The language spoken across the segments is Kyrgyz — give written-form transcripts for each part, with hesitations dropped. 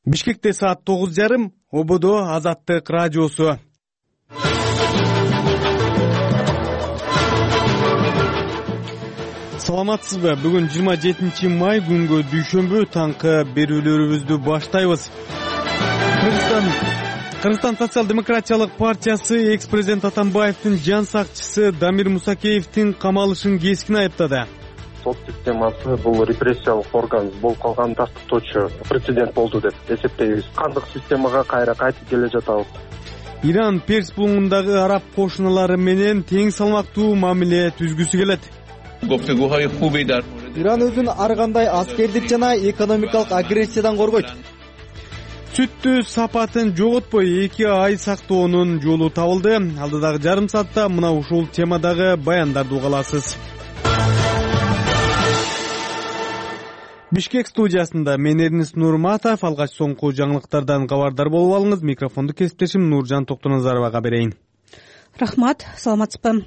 Бишкекте саат 9:30, ободо Азаттык радиосу. Саламатсызбы? Бүгүн 27 май күнгө дүйшөмбү таңкы берүүлөрүбүздү баштайбыз. Кыргызстан социал-демократиялык партиясы экс-президент Атамбаевдин жан сакчысы Дамир Мусакеевдин камалышын кескин айыптады. Сот системасы бул репрессиялык орган болуп калган тартыптоочу прецедент болду деп эсептейбиз. Кандык системага кайра кайтып келе жатабыз. Иран Перс бугундагы араб кошуналары менен тең салмактуу мамиле түзгүсү келет. Иран өзүн ар кандай аскердик жана экономикалык агрессиядан коргойт. Сүттү сапатын жоготпой 2 ай сактоонун жолу табылды. Алдыдагы жарым саатта мына ушул темадагы баяндарды уга аласыз. Бишкек студиясында мен Эрнис Нурматов. Алгач соңку жаңылыктардан кабардар болуп алыңыз. Микрофонду кесиптешим Нуржан Токтоназаровага берейин. Рахмат, саламатсызбы?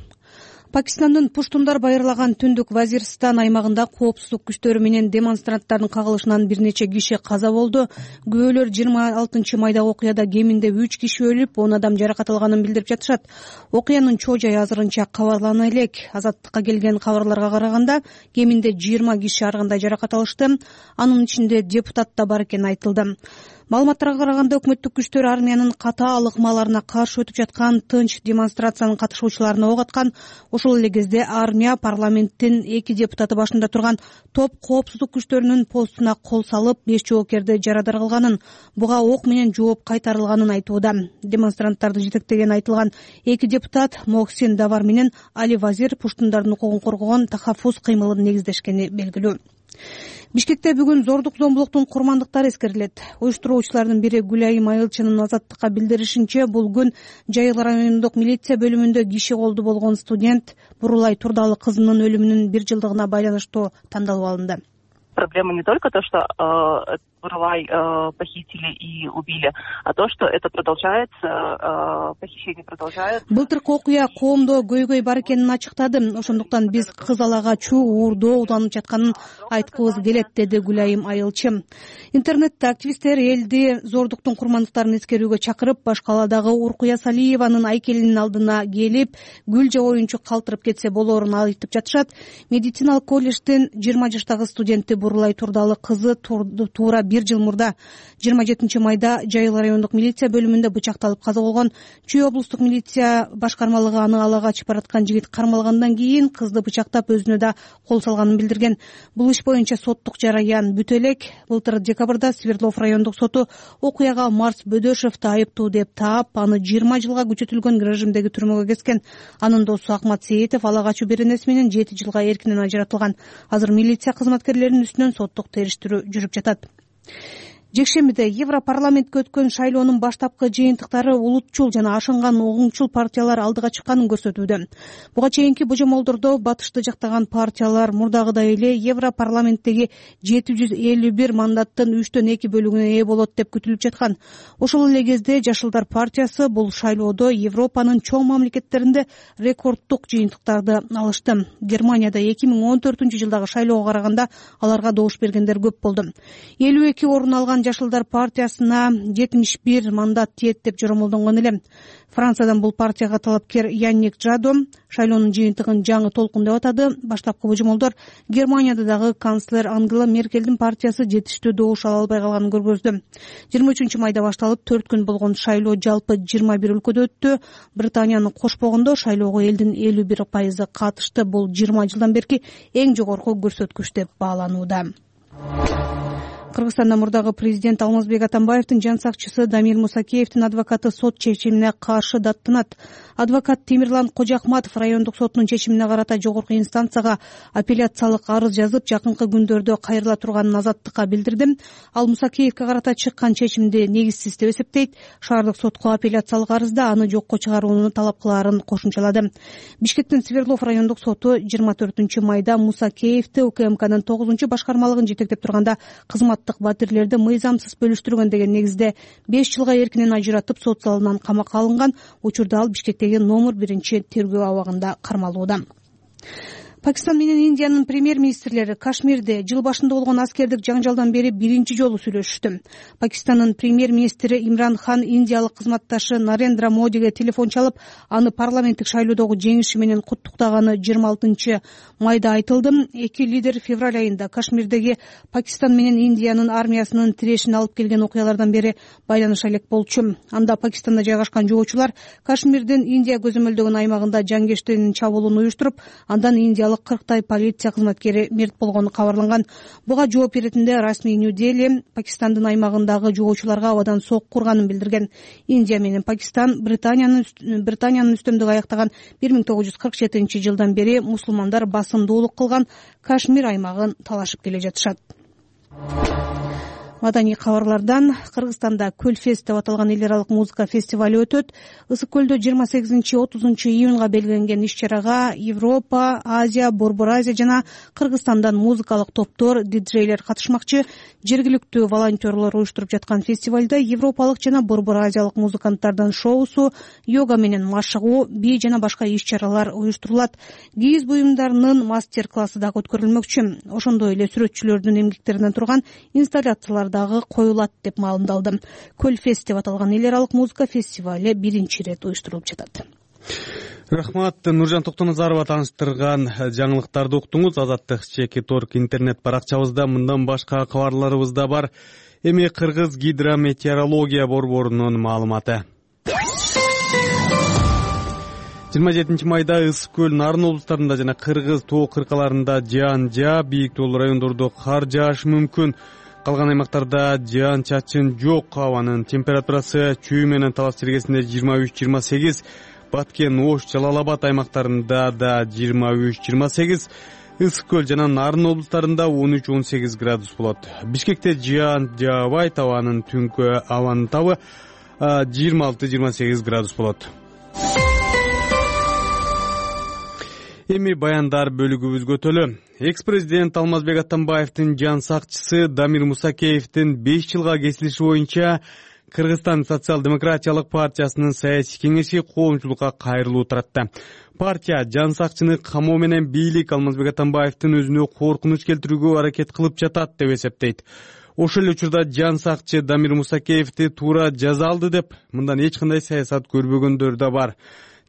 Пакистандын Пуштундар байырлаган түндүк Вазирстан аймагында коопсуздук күчтөрү менен демонстранттардын кагылышынан бир нече киши каза болду. Күбөлөр 26 майда окуяда кеминде 3 киши өлүп, 10 адам жаракат алганын билдирип жатышат. Окуянын чоо жайы азырынча кабарлана элек. Азаттыкка келген кабарларга караганда кеминде 20 киши ар кандай жаракат алышты. Анын ичинде депутат да бар экени айтылды. Маалыматтарга караганда өкмөттүк күчтөр армиянын катаал ыкмаларына каршы өтүп жаткан тынч демонстрациянын катышуучуларына ок аткан. Ошол эле кезде армия парламенттин 2 депутаты башында турган топ коопсуздук күчтөрүнүн постуна кол салып 5 жоокерди жарадар кылганын, буга ок менен жооп кайтарылганын айтууда. Демонстранттарды жетектеген айтылган 2 депутат Мохсин Давар менен Али Вазир Пуштундардын укугун коргогон тахаффуз кыймылын негиздешкени белгилүү. Бишкекте бүгүн зордук зомбулуктун курмандыктары эскерилет. Уюштуруучулардын бири Гүлайым Айылчынын Азаттыкка билдиришинче, бул күн Жайыл райондук милиция бөлүмүндө киши колду болгон студент Бурулай Турдалы кызынын өлүмүнүн 1 жылдыгына байланыштуу тандалып алынды. Проблема не только то, что Бурулай похитили и убили, а то, что это продолжается, похищение продолжается. Былтыркы окуя коомдо көйгөй бар экенин ачыктады. Ошондуктан биз кызалага чуу уурдоо уланып жатканын айткыбыз келет, деди Гүлайым Айылчы. Интернетте активисттер элди зордуктун курмандыктарын эскерүүгө чакырып, Башкаладагы Уркуя Салиеванын айкелинин алдына келип, гүл же оюнчук калтырып кетсе болоорун айтып жатышат. Медициналык колледждин 20 жаштагы студенти Бурулай Турдалы кызы туура 1 жыл мурда 27 майда Жайыл райондук милиция бөлүмүндө бычакталып каза болгон. Чүй облустук милиция башкармалыгы аны ала качып бараткан жигит кармалгандан кийин кызды бычактап өзүнө да кол салганын билдирген. Бул иш боюнча соттук жараян бүтө элек. Былтыр декабрда Свердлов райондук соту окуяга Марс Бөдөшевди айыптуу деп таап, аны 20 жылга күчөтүлгөн режимдеги түрмөгө кескен. Анын досу Акмат Сейитов ала качуу беренеси менен 7 жылга эркинен ажыратылган. Азыр милиция кызматкерлеринин үстүнөн соттук териштирүү жүрүп жатат. Жекшембиде Европарламентке өткөн шайлоонун баштапкы жыйынтыктары улутчул жана ашынган оңчул партиялар алдыга чыкканын көрсөтүүдө. Буга чейинки божомолдордо батышты жактаган партиялар мурдагыдай эле Европарламенттеги 751 мандаттын 3/2 бөлүгүнө ээ болот деп күтүлүп жаткан. Ошол эле кезде Жашылдар партиясы бул шайлоодо Европанын чоң мамлекеттеринде рекорддук жыйынтыктарды алышты. Германияда 2014 жылдагы шайлоого караганда аларга добуш бергендер көп болду. 52 орун алган Жашылдар партиясына 71 мандат тиет деп жоромолдонгон эле. Франциядан бул партияга талапкер Янник Жадо шайлоонун жыйынтыгын жаңы толкун деп атады. Баштапкы божомолдор Германияда дагы канцлер Ангела Меркелдин партиясы жетиштүү добуш ала албай калганын көргөздү. 23 майда башталып 4 күн болгон шайлоо жалпы 21 өлкөдө өттү. Британияны кошпогондо шайлоого элдин 51% катышты. Бул 20 жылдан берки эң жогорку көрсөткүч деп бааланууда. Кыргызстанда мурдагы президент Алмазбек Атамбаевдин жан сакчысы Дамир Мусакеевдин адвокаты сот чечимине каршы даттанат. Адвокат Темирлан Кожоахматов райондук сотунун чечимине карата жогорку инстанцияга апелляциялык арыз жазып, жакынкы күндөрдө кайрыла турганын Азаттыкка билдирди. Ал Мусакеевге карата чыккан чечимди негизсиз деп эсептейт. Шаардык сотко апелляциялык арызда аны жокко чыгарууну талап кылаарын кошумчалады. Бишкектин Свердлов райондук соту 24 майда Мусакеевди УКМКнын 9 башкармалыгын жетектеп турганда кызматтык батирлерди мыйзамсыз бөлүштүргөн деген негизде 5 жылга эркинен ажыратып сот залынан камакка алынган. Учурда ал Бишкектеги номер 1 тергөө абагында кармалууда. Пакистан менен Индиянын премьер-министрлери Кашмирде жыл башында болгон аскердик жаңжалдан бери биринчи жолу сүйлөшүштү. Пакистандын премьер-министри Имран Хан индиялык кызматташы Нарендра Модиге телефон чалып, аны парламенттик шайлоодогу жеңиши менен куттуктаганы 26 майда айтылды. Эки лидер февраль айында Кашмирдеги Пакистан менен Индиянын армиясынын тирешин алып келген окуялардан бери байланыша элек болчу. Анда Пакистанда жайгашкан жоочулар Кашмирдин Индия көзөмөлдөгөн аймагында жангештенин чабуулун уюштуруп, андан индиялык 40 полиция кызматкери мерт болгону кабарланган. Буга жооп беретинде расмий Нью-Дели Пакистандын аймагындагы жоочуларга абадан сокку урганын билдирген. Индия менен Пакистан Британиянын үстөмдүк аяктаган 1947 жылдан бери мусулмандар басымдуулук кылган Кашмир аймагын талашып келе жатышат. Маданий кабарлардан Кыргызстанда Көлфест деп аталган эл аралык музыка фестиваль өтөт. Ысык көлдө 28-30 июнга белгиленген иш-чарага Европа, Азия, Борбор Азия жана Кыргызстандан музыкалык топтор, диджейлер катышмакчы. Жергиликтүү волонтерлор уюштуруп жаткан фестивалда европалык жана Борбор Азиялык музыканттардын шоусу, йога менен машыгуу, бий жана башка иш-чаралар уюштурулат. Кийиз буюмдарынын мастер-классы дагы өткөрүлмөкчү. Ошондой эле сүрөтчүлөрдүн эмгектеринен турган инсталляциялар дагы коюлат деп маалымдалды. Көлфест деп аталган эл аралык музыка фестивали биринчи ирет уюштурулуп жатат. Рахмат. Нуржан Токтоназарова тааныштырган жаңылыктарды уктуңуз. Азаттык Чекиторг интернет баракчабызда мындан башка кабарларыбыз да бар. Эми Кыргыз гидрометеорология борборунун маалыматы. 27 майда Ысык көл, Нарын облустарында жана Кыргыз тоо кыркаларында жаан жаап, бийик тоолуу райондордо кар жаашы мүмкүн. Калган аймактарда жаан чачын жок. Абанын температурасы Чүй менен Талас чергесинде 23-28, Баткен, Ош, Жалал-Абад аймактарында да 23-28, Ысык көл жана Нарын облустарында 13-18 градус болот. Бишкекте жаан жаабайт, абанын түнкү абанын табы 26-28 градус болот. Эми баяндар бөлүгүбүзгө өтөлү. Экс-президент Алмазбек Атамбаевдин жан сакчысы Дамир Мусакеевдин 5 жылга кесилиши боюнча Кыргызстан социал-демократиялык партиясынын саясий кеңеши коомчулукка кайрылуу таратты. Партия жан сакчыны камоо менен бийлик Алмазбек Атамбаевдин өзүнө коркунуч келтирүүгө аракет кылып жатат деп эсептейт. Ошол эле учурда жан сакчы Дамир Мусакеевди туура жаза алды деп мындан эч кандай саясат көрбөгөндөр да бар.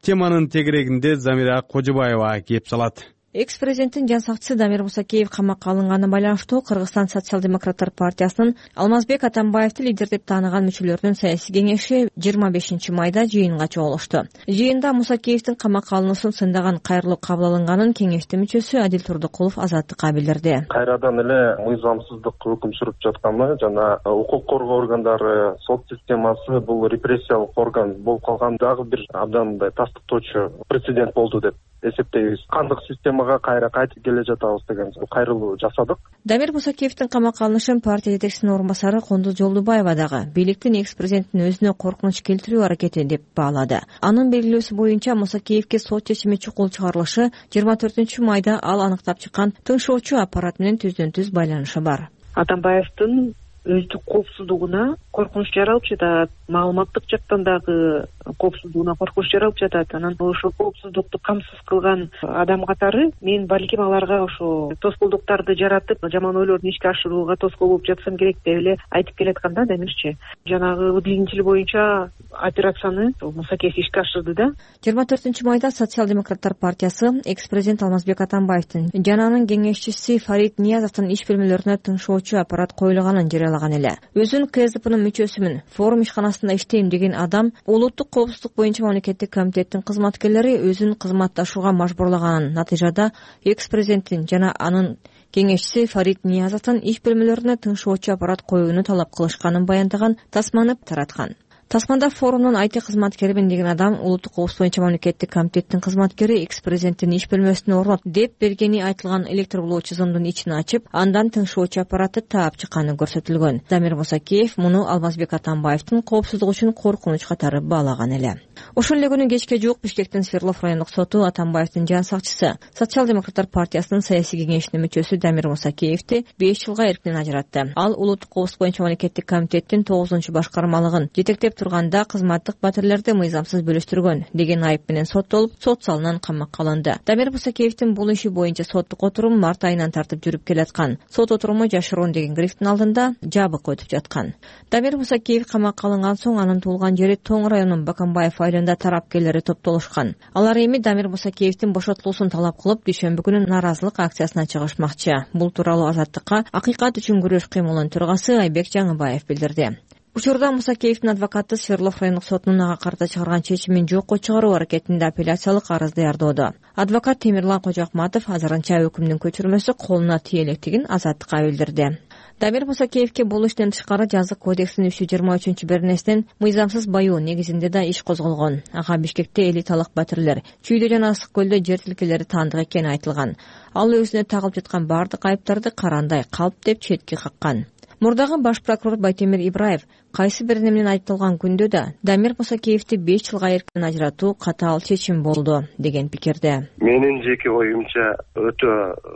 Теманын тегерегинде Замира Кожобаева кеп салат. Экс-президенттин жан сакчысы Дамир Мусакеев камакка алынганы байланыштуу Кыргызстан социал-демократтар партиясынын Алмазбек Атамбаевди лидер деп тааныган мүчөлөрүнүн саясий кеңеши 25 майда жыйынга чогулушту. Жыйында Мусакеевдин камакка алынуусун сындаган кайрылуу кабыл алынганын кеңештин мүчөсү Адил Турдукулов Азаттыкка билдирди. Кайрадан эле мыйзамсыздык өкүм сүрүп жатканы жана укук коргоо органдары, сот системасы бул репрессиялык орган болуп калган дагы бир абдан мындай тастыктоочу прецедент болду деп эсептейбиз. Кандык системага кайра кайтып келе жатабыз деген кайрылуу жасадык. Дамир Мусакеевдин камакка алынышын партия жетекчисинин орун басары Кондуз Жолдубаева дагы бийликтин экс-президенттин өзүнө коркунуч келтирүү аракети деп баалады. Анын белгилөөсү боюнча Мусакеевге сот чечими чукул чыгарылышы 24 майда ал аныктап чыккан тыңшоочу аппарат менен түздөн-түз байланышы бар. Атамбаевдин өздүк коопсуздугуна коркунуч жаралып жатат, маалыматтык жактан дагы коопсуздугуна коркунуч жаралып жатат. Анан ошол коопсуздукту камсыз кылган адам катары мен балким аларга ошо тоскоолдуктарды жаратып, жаман ойлорун ишке ашырууга тоскоол болуп жатсам керек деп эле айтып келатканда Дамирчи. Жанагы двигатель боюнча операцияны Мусакеев ишке ашырды да. 24 майда социал-демократтар партиясы экс-президент Алмазбек Атамбаевдин жана анын кеңешчиси Фарид Ниязовдун иш бөлмөлөрүнө тыңшоочу аппарат коюлганын жарыялаган эле. Өзүн КСДПнын мүчөсүмүн, форум ишканасында иштейм деген адам улуттук коопсуздук боюнча мамлекеттик комитеттин кызматкерлери өзүн кызматташууга мажбурлаганын натыйжада экс-президенттин жана анын кеңешчиси Фарид Ниязовдун иш бөлмөлөрүнө тыңшоочу аппарат коюуну талап кылышканын баяндаган тасманы тараткан. Тасманда форумдун IT кызматкеримин деген адам улуттук коопсуздук боюнча мамлекеттик комитеттин кызматкери экс-президенттин иш бөлмөсүнө орнот деп бергени айтылган электробулоо чызымдын ичин ачып, андан тыңшоочу аппаратты таап чыкканы көрсөтүлгөн. Дамир Мусакеев муну Алмазбек Атамбаевдин коопсуздугу үчүн коркунуч катары баалаган эле. Ошол эле күнү кечке жуук Бишкектин Свердлов райондук соту Атамбаевдин жан сакчысы, Социал-демократтар партиясынын саясий кеңешинин мүчөсү Дамир Мусакеевди 5 жылга эркинен ажыратты. Ал улуттук коопсуздук боюнча мамлекеттик комитеттин 9-башкармалыгын жетектеп турганда кызматтык батирлерди мыйзамсыз бөлүштүргөн деген айып менен соттолуп, сот залынан камакка алынды. Дамир Мусакеевдин бул иши боюнча соттук отурум март айынан тартып жүрүп келаткан. Сот отуруму жашыруун деген грифтин алдында жабык өтүп жаткан. Дамир Мусакеев камакка алынган соң анын туулган жери Тоң районунун Баканбаев айылында тарапкерлери топтолушкан. Алар эми Дамир Мусакеевдин бошотулуусун талап кылып, дүйшөмбү күнү нааразылык акциясына чыгышмакчы. Бул тууралуу Азаттыкка Акыйкат үчүн күрөш кыймылынын төрагасы Айбек Жаңыбаев билдирди. Учурда Мусакеевдин адвокаты Свердлов райондук сотунун ага карата чыгарган чечимин жокко чыгаруу аракетинде апелляциялык арыз даярдоодо. Адвокат Темирлан Кожоакматов азырынча өкүмдүн көчүрмөсү колуна тие электигин Азаттыкка билдирди. Дамир Мусакеевге бул иштен тышкары Жазык кодексинин 323-беренесинен мыйзамсыз баюу негизинде да иш козголгон. Ага Бишкекте элиталык батирлер, Чүйдө жана Ысык көлдө жер тилкелери таандык экени айтылган. Ал өзүнө тагылып жаткан бардык айыптарды карандай калп деп четке каккан. Мурдагы баш прокурор Байтемир Ибраев кайсы бир менен айыпталган күндө да Дамир Мусакеевди 5 жылга эркинен ажыратуу катаал чечим болду деген пикирде. Менин жеке оюмча өтө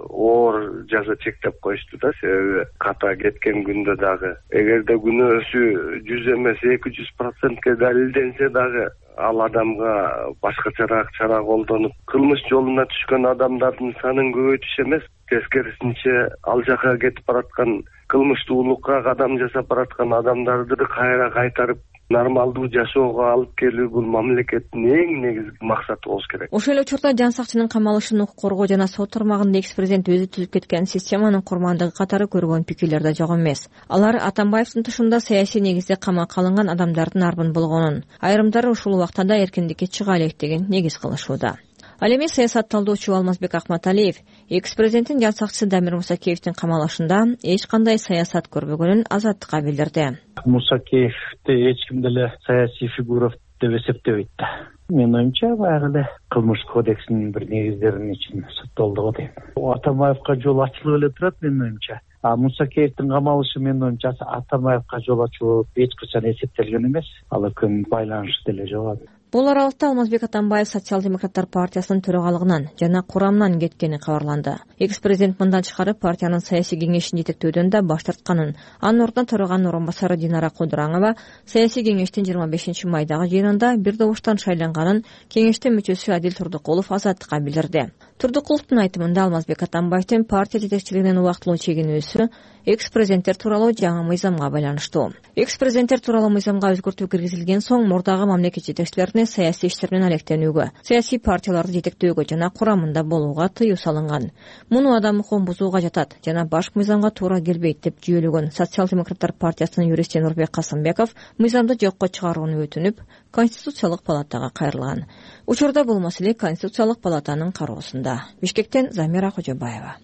оор жаза чектеп коюшту да, себеби ката кеткен күндө дагы эгерде күнөөсү 100 эмес 200% далилденсе дагы ал адамга башкачараак чара колдонуп, кылмыш жолуна түшкөн адамдардын санын көбөйтүш эмес, тескерисинче ал жака кетип бараткан кылмыштуулукка кадам жасап бараткан адамдарды кайра кайтарып нормалдуу жашоого алып келүү бул мамлекеттин эң негизги максаты болуш керек. Ошол эле учурда жан сакчынын камалышын укук коргоо жана сот тармагында экс-президент өзү түзүп кеткен системанын курмандыгы катары көргөн пикирлер да жок эмес. Алар Атамбаевдин тушунда саясий негизде камакка алынган адамдардын арбын болгонун, айрымдары ушул убакта да эркиндикке чыга элек деген негиз кылышууда. Ал эми саясат талдоочу Алмазбек Акматалиев экс-президенттин жан сакчысы Дамир Мусакеевдин камалышында эч кандай саясат көрбөгөнүн Азаттыкка билдирди. Мусакеевди эч ким деле саясий фигура деп эсептебейт да. Менин оюмча баягы эле кылмыш кодексинин бир негиздеринин ичинде соттолду го дейм. Атамбаевка жол ачылып эле турат менин оюмча. Мусакеевдин камалышы менин оюмча Атамбаевка жол ачуу эч качан эсептелген эмес. Ал экөөнүн байланышы деле жок. Бул аралыкта Алмазбек Атамбаев Социал-демократтар партиясынын төрагалыгынан жана курамынан кеткени кабарланды. Экс-президент мындан тышкары партиянын саясий кеңешин жетектөөдөн да баш тартканын, анын ордуна төраганын орун басары Динара Кудураңова саясий кеңештин 25-майдагы жыйынында бир добуштан шайланганын кеңештин мүчөсү Адил Турдукулов Азаттыкка билдирди. Турдукуловдун айтымында Алмазбек Атамбаевдин партия жетекчилигинен убактылуу чегинүүсү экс-президенттер тууралуу жаңы мыйзамга байланыштуу. Экс-президенттер тууралуу мыйзамга өзгөртүү киргизилген соң мурдагы мамлекет жетекчилерине саясий иштер менен алектенүүгө, саясий партияларды жетектөөгө жана курамында болууга тыюу салынган. Муну адам укугун бузууга жатат жана башкы мыйзамга туура келбейт деп жүйөлөгөн Социал-демократтар партиясынын юристи Нурбек Касымбеков мыйзамды жокко чыгарууну өтүнүп, Конституциялык палатага кайрылган. Учурда бул маселе Конституциялык палатанын кароосунда. Бишкектен Замира Кожобаева.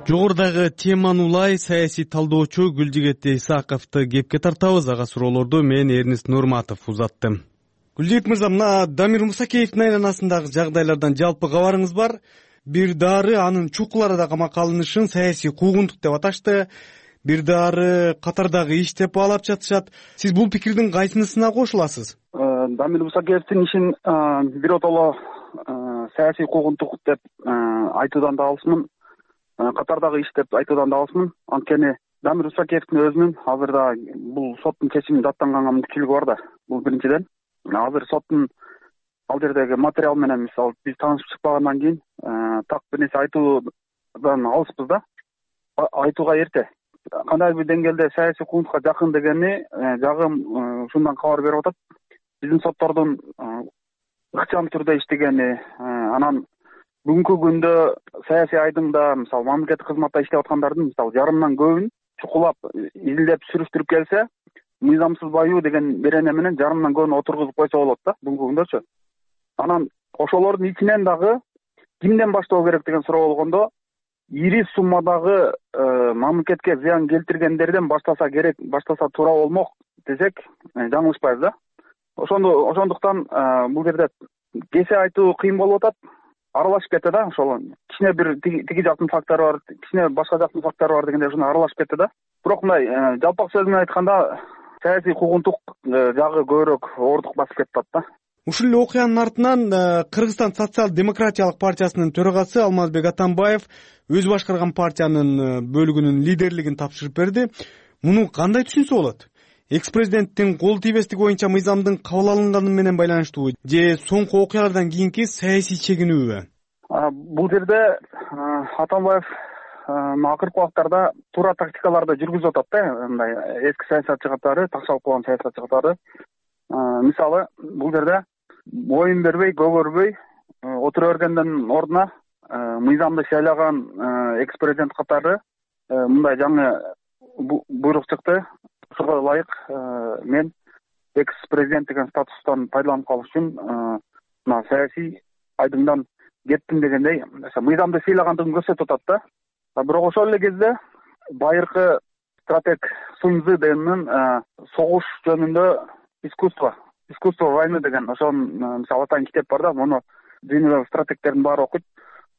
Жогорудагы теманы улай саясий талдоочу Гүлжигет Исаковду кепке тартабыз. Ага суроолорду мен Эрнест Нурматов узаттым. Гүлжигет мырза, мына Дамир Мусакеевдин айланасындагы жагдайлардан жалпы кабарыңыз бар? Бир дары анын чукул арада камакка алынышын саясий куугунтук деп аташты, бир дары катардагы иш деп баалап жатышат. Сиз бул пикирдин кайсынысына кошуласыз? Дамир Мусакеевдин ишин биротоло саясий куугунтук деп айтуудан да алысмын, катардагы иш деп айтуудан да алысмын. Анткени Дамир Мусакеевдин өзүнүн азырда бул соттун чечими даттанганга мүмкүнчүлүгү бар да. Бул биринчиден. Азыр соттун ал жердеги материал менен мисалы биз таанышып чыкпагандан кийин так бир нерсе айтуудан алыспыз да. Айтууга эрте. Кандайдыр бир деңгээлде саясий куугунтукка жакын дегени жагым ушундан кабар берип атат. Биздин соттордун ыкчам түрдө иштегени, анан бүгүнкү күндө саясий айдыңда мисалы мамлекеттик кызматта иштеп аткандардын мисалы жарымынан көбүн чукулап изилдеп сүрүштүрүп келсе, мыйзамсыз баюу деген берене менен жарымдан көбүн отургузуп койсо болот да бүгүнкү күндөчү. Анан ошолордун ичинен дагы кимден баштоо керек деген суроо болгондо, ири суммадагы мамлекетке зыян келтиргендерден баштаса керек, баштаса туура болмок десек жаңылышпайбыз да. Ошондуктан бул жерде кесе айтуу кыйын болуп атат, аралашып кетти да. Ошол кичине бир тиги жактын фактору бар, кичине башка жактын фактору бар дегендей ушундай аралашып кетти да. Бирок мындай жалпак сөз менен айтканда саясий куугунтук жагы көбүрөөк оордук басып кетип атат да. Ушул эле окуянын артынан Кыргызстан социал-демократиялык партиясынын төрагасы Алмазбек Атамбаев өзү башкарган партиянын бөлүгүнүн лидерлигин тапшырып берди. Муну кандай түшүнсө болот? Экс-президенттин кол тийбестиги боюнча мыйзамдын кабыл алынганы менен байланыштуубу же соңку окуялардан кийинки саясий чегинүүбү? Бул жерде Атамбаев акыркы убактарда туура тактикаларды жүргүзүп атат да, мындай эски саясатчы катары, такшалып калган саясатчы катары. Мисалы, бул жерде боюн бербей, көгөрбөй отура бергендин ордуна мыйзамды шайлаган экс-президент катары мындай жаңы буйрук чыкты. Ошого ылайык мен экс-президент деген статустан пайдаланып калыш үчүн мына саясий айдыңдан кеттим дегендей мыйзамды сыйлагандыгын көрсөтүп атат да. Бирок ошол эле кезде байыркы стратег Суньцзы дегендин согуш жөнүндө искусство войны деген ошонун мисалы атайын китеп бар да, муну дүйнөдөгү стратегтердин баары окуйт.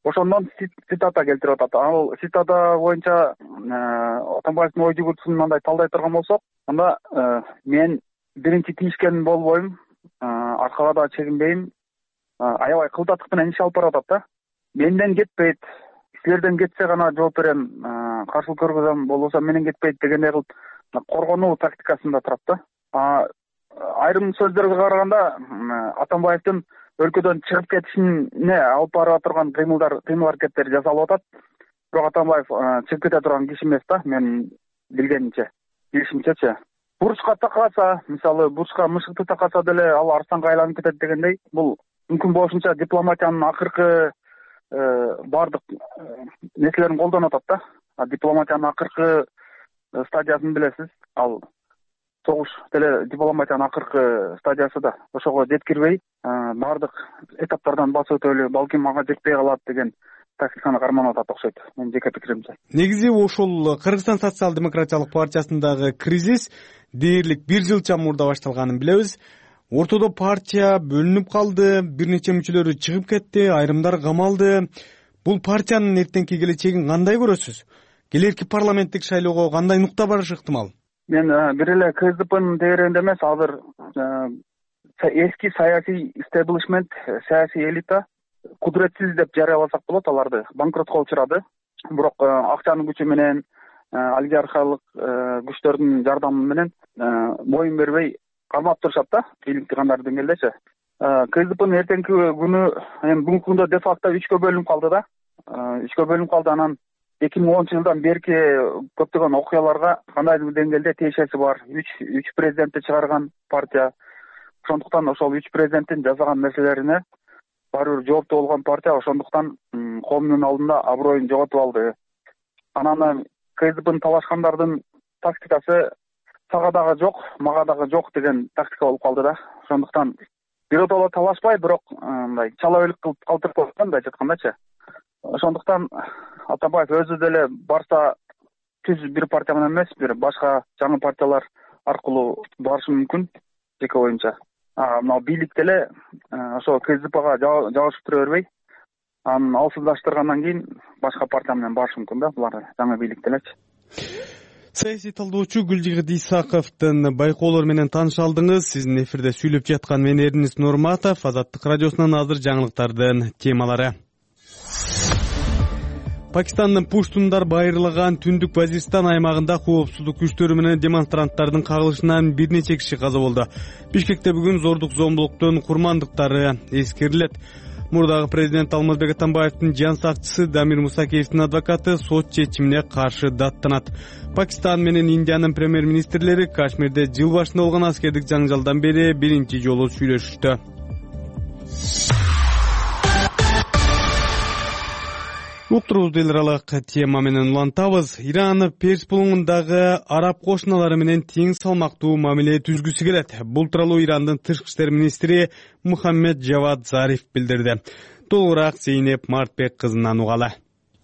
Ошондон цитата келтирип атат. Ал цитата боюнча Атамбаевдин ой жүгүртүүсүн мындай талдай турган болсок, анда мен биринчи тийишкен болбойм, аркага да чегинбейм, аябай кылдаттык менен иш алып барып атат да. Менден кетпейт, силерден кетсе гана жооп берем, каршылык көргөзөм, болбосо менен кетпейт дегендей кылып коргонуу тактикасында турат да. Айрым сөздөргө караганда Атамбаевдин өлкөдөн чыгып кетишине алып бара турган кыймыл аракеттери жасалып атат. Бирок Атамбаев чыгып кете турган киши эмес да, мен билишимчечи. Бурчка такаса, мисалы бурчка мышыкты такаса деле ал арстанга айланып кетет дегендей, бул мүмкүн болушунча дипломатиянын акыркы бардык нерселерин колдонуп атат да. Дипломатиянын акыркы стадиясын билесиз, ал согуш деле дипломатиянын акыркы стадиясы да. Ошого жеткирбей, бардык этаптардан басып өтөлү, балким ага жетпей калат деген тактиканы карманып атат окшойт, менин жеке пикиримче. Негизи ошол Кыргызстан социал-демократиялык партиясындагы кризис дээрлик 1 жылча мурда башталганын билебиз. Ортодо партия бөлүнүп калды, бир нече мүчөлөрү чыгып кетти, айрымдар камалды. Бул партиянын эртеңки келечегин кандай көрөсүз? Келерки парламенттик шайлоого кандай нукта барышы ыктымал? Мен бир эле КСДПнын тегерегинде эмес, азыр эски саясий истеблишмент, саясий элита кудуретсиз деп жарыяласак болот, аларды банкротко учурады. Бирок акчанын күчү менен, олигархиялык күчтөрдүн жардамы менен боюн бербей кармап турушат да, бийликти кандай деңгээлдечи. КСДПнын эртеңки күнү, эми бүгүнкү күндө де факто 3кө бөлүнүп калды да. 3кө бөлүнүп калды, анан 2010-жылдан берки көптөгөн окуяларга кандайдыр деңгээлде тиешеси бар. 3 президентти чыгарган партия. Ошондуктан ошол 3 президенттин жасаган нерселерине баары бир жооптуу болгон партия, ошондуктан коомдун алдында аброюн жоготуп алды. Анан КСДПны талашкандардын тактикасы сага дагы жок, мага дагы жок деген тактика болуп калды да. Ошондуктан биротоло талашпай, бирок мындай чала өлүк кылып калтырып койгон, мындай айткандачы. Ошондуктан Атамбаев өзү деле барса түз бир партия менен эмес, бир башка жаңы партиялар аркылуу барышы мүмкүн, жеке оюмча. Мына бийлик деле ошо КСДПга жабышып бербей, анын алсыздаштыргандан кийин башка партия менен барышы мүмкүн да, булар жаңы бийлик делечи. Саясий талдоочу Гүлжигит Исаковдун байкоолору менен тааныша алдыңыз. Сиздин эфирде сүйлөп жаткан мен Эрнис Нурматов, Азаттык радиосунун азыр жаңылыктардын темалары. Пакистандын Пуштундар айрылаган Түндүк Вазиристан аймагында коопсуздук күчтөрү менен демонстранттардын кагылышынан бир нече киши каза болду. Бишкекте бүгүн зордук зомбулуктун курмандыктары эскерилет. Мурдагы президент Алмазбек Атамбаевдин жан сакчысы Дамир Мусакеевдин адвокаты сот чечимине каршы даттанат. Пакистан менен Индиянын премьер-министрлери Кашмирде жыл башында болгон аскердик жаңжалдан бери биринчи жолу сүйлөшүштү. Уктурубузду эл аралык тема менен улантабыз. Иран Перс булуңундагы араб кошуналары менен тең салмактуу мамиле түзгүсү келет. Бул тууралуу Ирандын тышкы иштер министри Мухаммед Джавад Зариф билдирди. Толугураак Зейнеп Мартбек кызынан угалы.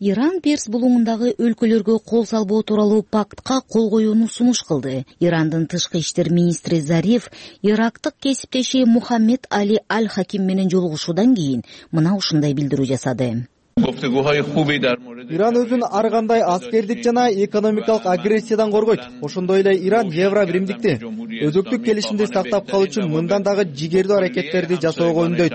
Иран Перс булуңундагы өлкөлөргө кол салбоо тууралуу пактка кол коюуну сунуш кылды. Ирандын тышкы иштер министри Зариф ирактык кесиптеши Мухаммед Али Аль-Хаким менен жолугушуудан кийин мына ушундай билдирүү жасады. Иран өзүн ар кандай аскердик жана экономикалык агрессиядан коргойт. Ошондой эле Иран Евро биримдикти, өзөктүк келишимди сактап калуу үчүн мындан дагы жигердүү аракеттерди жасоого үндөйт,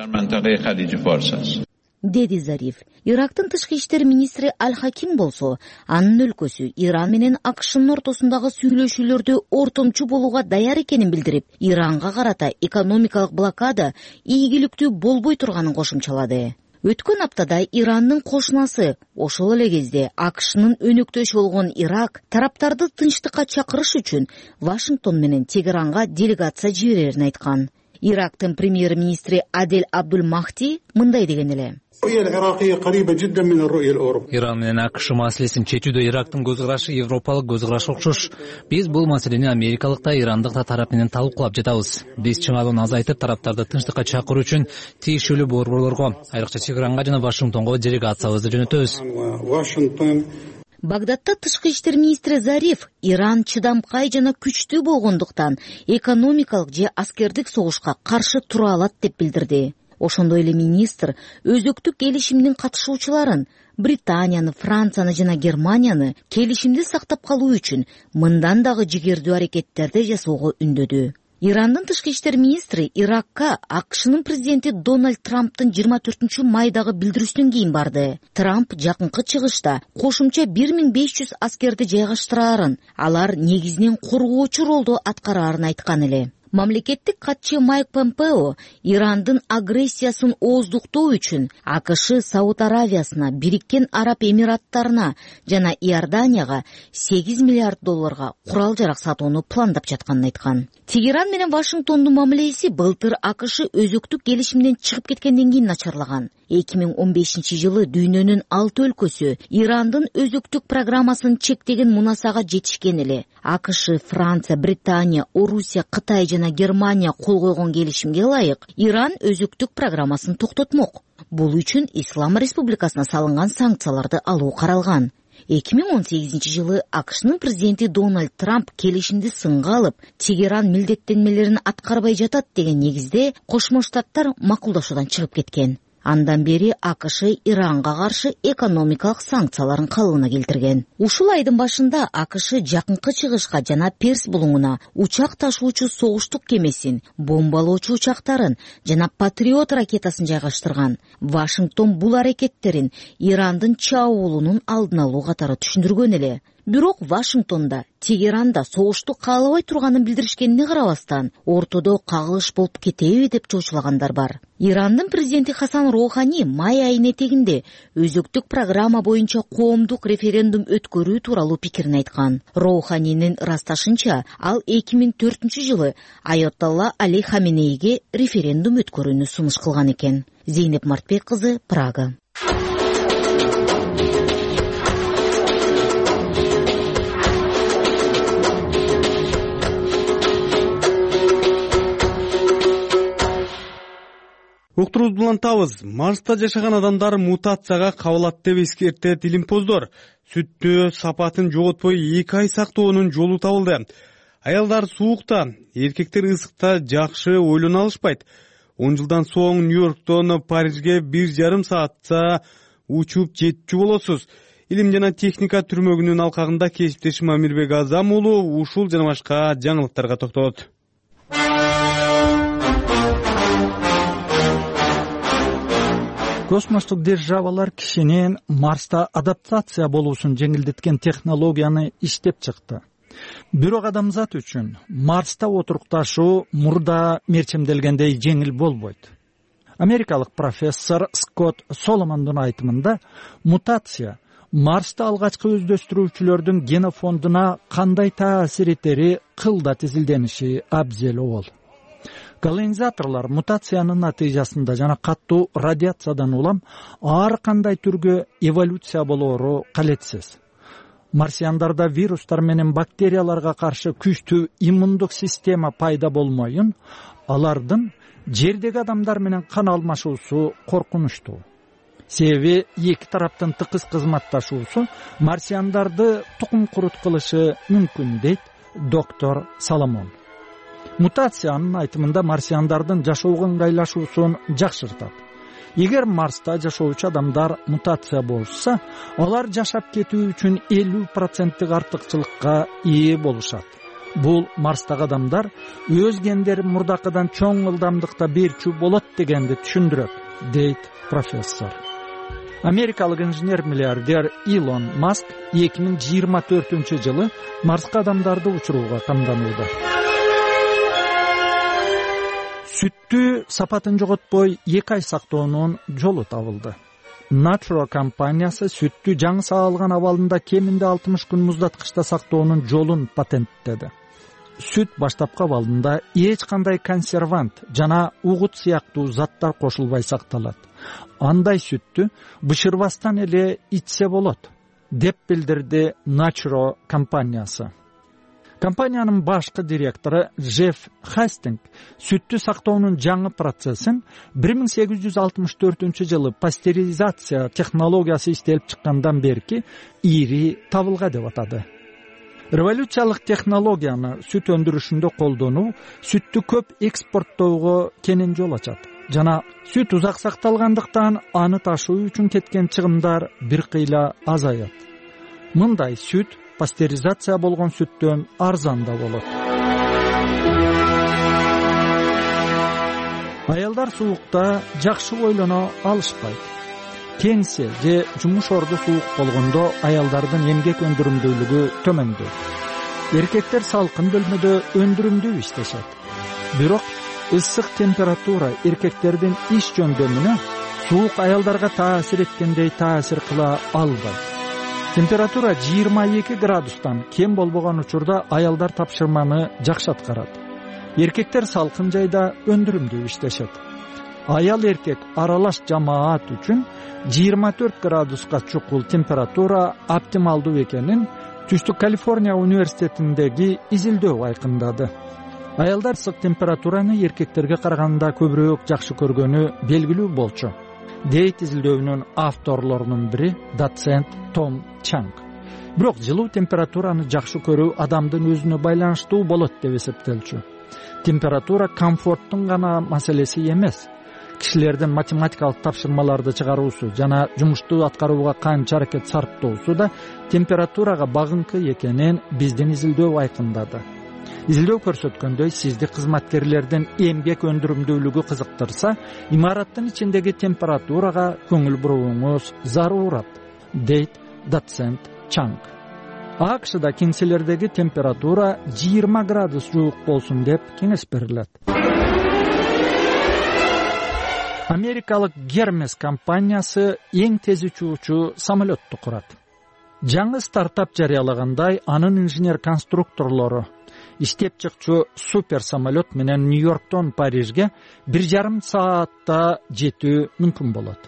деди Зариф. Ирактын тышкы иштер министри Аль-Хаким болсо, анын өлкөсү Иран менен АКШнын ортосундагы сүйлөшүүлөрдө ортомчу болууга даяр экенин билдирип, Иранга карата экономикалык блокада ийгиликтүү болбой турганын кошумчалады. Өткөн аптада Ирандын кошунасы, ошол эле кезде АКШнын өнөктөшү болгон Ирак тараптарды тынчтыкка чакырыш үчүн Вашингтон менен Тегеранга делегация жиберерин айткан. Ирактын премьер-министри Адель Абдул Махди мындай деген эле: Иран менен АКШ маселесин чечүүдө Ирактын көз карашы европалык көз караш окшош. Биз бул маселени америкалык да, ирандык да тарап менен талкуулап жатабыз. Биз чыңалууну азайтып, тараптарды тынчтыкка чакыруу үчүн тиешелүү борборлорго, айрыкча Тегеранга жана Вашингтонго делегациябызды жөнөтөбүз. Багдадта тышкы иштер министри Зариф Иран чыдамкай жана күчтүү болгондуктан экономикалык же аскердик согушка каршы тура алат деп билдирди. Ошондой эле министр өзөктүк келишимдин катышуучуларын Британияны, Францияны жана Германияны келишимди сактап калуу үчүн мындан дагы жигердүү аракеттерди жасоого үндөдү. Ирандын тышкы иштер министри Иракка АКШнын президенти Дональд Трамптын 24 майдагы билдирүүсүнөн кийин барды. Трамп жакынкы чыгышта кошумча 1500 аскерди жайгаштыраарын, алар негизинен коргоочу ролду аткараарын айткан эле. Мамлекеттик катчы Майк Помпео Ирандын агрессиясын ооздуктоо үчүн АКШ Сауд Аравиясына, Бириккен Араб Эмираттарына жана Иорданияга $8 миллиард курал-жарак сатууну пландап жатканын айткан. Тегеран менен Вашингтондун мамилеси былтыр АКШ өзөктүк келишимден чыгып кеткенден кийин начарлаган. 2015-жылы дүйнөнүн 6 өлкөсү Ирандын өзөктүк программасын чектеген мунасага жетишкен эле. АКШ, Франция, Британия, Орусия, Кытай жана Германия кол койгон келишимге ылайык Иран өзөктүк программасын токтотмок. Бул үчүн Ислам Республикасына салынган санкцияларды алуу каралган. 2018-жылы АКШнын президенти Дональд Трамп келишимди сынга алып, Тегеран милдеттенмелерин аткарбай жатат деген негизде Кошмо Штаттар макулдашуудан чыгып кеткен. Андан бери АКШ Иранга каршы экономикалык санкцияларын калыбына келтирген. Ушул айдын башында АКШ жакынкы чыгышка жана Перс булуңуна учак ташуучу согуштук кемесин, бомбалоочу учактарын жана Патриот ракетасын жайгаштырган. Вашингтон бул аракеттерин Ирандын чабуулунун алдын алуу катары түшүндүргөн эле. Бирок Вашингтонда, Тегеранда согушту каалабай турганын билдиришкенине карабастан, ортодо кагылыш болуп кетеби деп чоочулагандар бар. Ирандын президенти Хасан Роухани май айынын этегинде өзөктүк программа боюнча коомдук референдум өткөрүү тууралуу пикирин айткан. Роуханинин ырасташынча, ал 2004-жылы Айатолла Али Хаменейге референдум өткөрүүнү сунуш кылган экен. Зейнеп Мартбек кызы, Прага. Уктуруубузду улантабыз. Марста жашаган адамдар мутацияга кабылат деп эскертет илимпоздор. Сүттү сапатын жоготпой 2 ай сактоонун жолу табылды. Аялдар суукта, эркектер ысыкта жакшы ойлоно алышпайт. 10 жылдан соң Нью-Йорктон Парижге 1,5 саатта учуп жетчү болосуз. Илим жана техника түрмөгүнүн алкагында кесиптешим Амирбек Азам уулу ушул жана башка жаңылыктарга токтолот. Космостук державалар кишинин Марста адаптация болуусун жеңилдеткен технологияны иштеп чыкты. Бирок адамзат үчүн Марста отурукташуу мурда мерчемделгендей жеңил болбойт. Америкалык профессор Скотт Соломондун айтымында, мутация Марста алгачкы өздөштүрүүчүлөрдүн генофондуна кандай таасир этери кылда тизилдениши абзел обол. Колонизаторлор мутациянын натыйжасында жана каттуу радиациядан улам ар кандай түргө эволюция болоору калетсиз. Марсиандарда вирустар менен бактерияларга каршы күчтүү иммундук система пайда болмоюн, алардын жердеги адамдар менен кан алмашуусу коркунучтуу. Себеби эки тараптын тыкыз кызматташуусу марсиандарды тукум курут кылышы мүмкүн, дейт доктор Соломон. Мутациянын айтымында марсиандардын жашоого ыңгайлашуусун жакшыртат. эгер Марста жашоочу адамдар мутация болушса, алар жашап кетүү үчүн 50% артыкчылыкка ээ болушат. Бул Марстагы адамдар өз гендерин мурдакыдан чоң ылдамдыкта берчү болот дегенди түшүндүрөт, дейт профессор. Америкалык инженер-миллиардер Илон Маск 2024-жылы Марска адамдарды учурууга камданууда. Сүттү сапатын жоготпой 2 ай сактоонун жолу табылды. Natural компаниясы сүттү жаңы саалган абалында кеминде 60 күн муздаткычта сактоонун жолун патенттеди. Сүт баштапкы абалында эч кандай консервант жана угут сыяктуу заттар кошулбай сакталат. Андай сүттү бышырбастан эле ичсе болот, деп билдирди Natural компаниясы. Компаниянын башкы директору Джефф Хастинг сүттү сактоонун жаңы процессин 1864-жылы пастеризация технологиясы иштелип чыккандан берки ири табылга деп атады. Революциялык технологияны сүт өндүрүшүндө колдонуу сүттү көп экспорттоого кенен жол ачат. Жана сүт узак сакталгандыктан аны ташуу үчүн кеткен чыгымдар бир кыйла азаят. Мындай сүт пастеризация болгон сүттөн арзан да болот. Аялдар суукта жакшы бойлоно алышпайт. Кеңсе же жумуш орду суук болгондо аялдардын эмгек өндүрүмдүүлүгү төмөндөйт. Эркектер салкын бөлмөдө өндүрүмдүү иштешет. Бирок ысык температура эркектердин иш жөндөмүнө суук аялдарга таасир эткендей таасир кыла албайт. Температура 22 градустан кем болбогон учурда аялдар тапшырманы жакшы аткарат. Эркектер салкын жайда өндүрүмдүү иштешет. Аял эркек аралаш жамаат үчүн 24 градуска чукул температура оптималдуу экенин Түштүк Калифорния университетиндеги изилдөө айкындады. Аялдар ысык температураны эркектерге караганда көбүрөөк жакшы көргөнү белгилүү болчу, дейт изилдөөнүн авторлорунун бири доцент Том Чанг. Бирок жылуу температураны жакшы көрүү адамдын өзүнө байланыштуу болот деп эсептелчү. Температура комфорттун гана маселеси эмес. Кишилердин математикалык тапшырмаларды чыгаруусу жана жумушту аткарууга канча аракет сарптоосу да температурага багынкы экенин биздин изилдөө айкындады. Изилдөө көрсөткөндөй, сизди кызматкерлердин эмгек өндүрүмдүүлүгү кызыктырса, имараттын ичиндеги температурага көңүл бурууңуз зарурат, дейт доцент Чанг. АКШда кеңселердеги температура 20 градус жуук болсун деп кеңеш берилет. Америкалык Hermes компаниясы эң тез учуучу самолетту курат. Жаңы стартап жарыялагандай, анын инженер-конструкторлору иштеп чыкчу супер самолет менен Нью-Йорктон Парижге 1,5 саатта жетүү мүмкүн болот.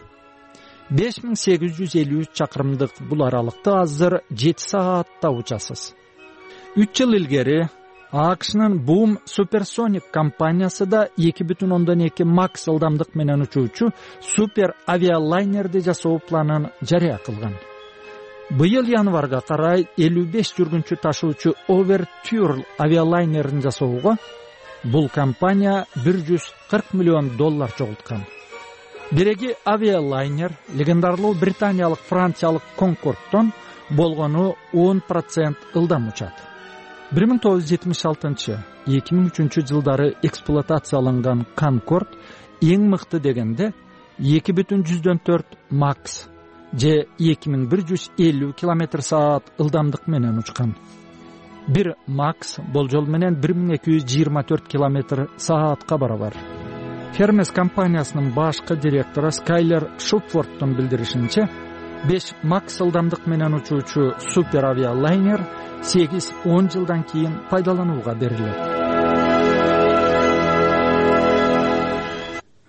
5853 чакырымдык бул аралыкты азыр 7 саатта учасыз. 3 жыл илгери АКШнын Boom Supersonic компаниясы да 2,2 Max ылдамдык менен учуучу супер авиалайнерди жасоо планын жарыя кылган. Быйыл январга карай 55 жүргүнчү ташуучу Overture авиалайнерин жасоого бул компания $140 миллион чогулткан. Биреги авиалайнер легендарлуу британиялык франциялык Конкордтон болгону 10% ылдам учат. 1976-2003 жылдары эксплуатацияланган Конкорд эң мыкты дегенде 2,4 Max же 2150 км/саат ылдамдык менен учкан. 1 Max болжол менен 1224 км/саатка барабар. Hermes компаниясынын башкы директору Скайлер Шупфордтун билдиришинче, 5 Max ылдамдык менен учуучу супер авиалайнер 8-10 жылдан кийин пайдаланууга берилет.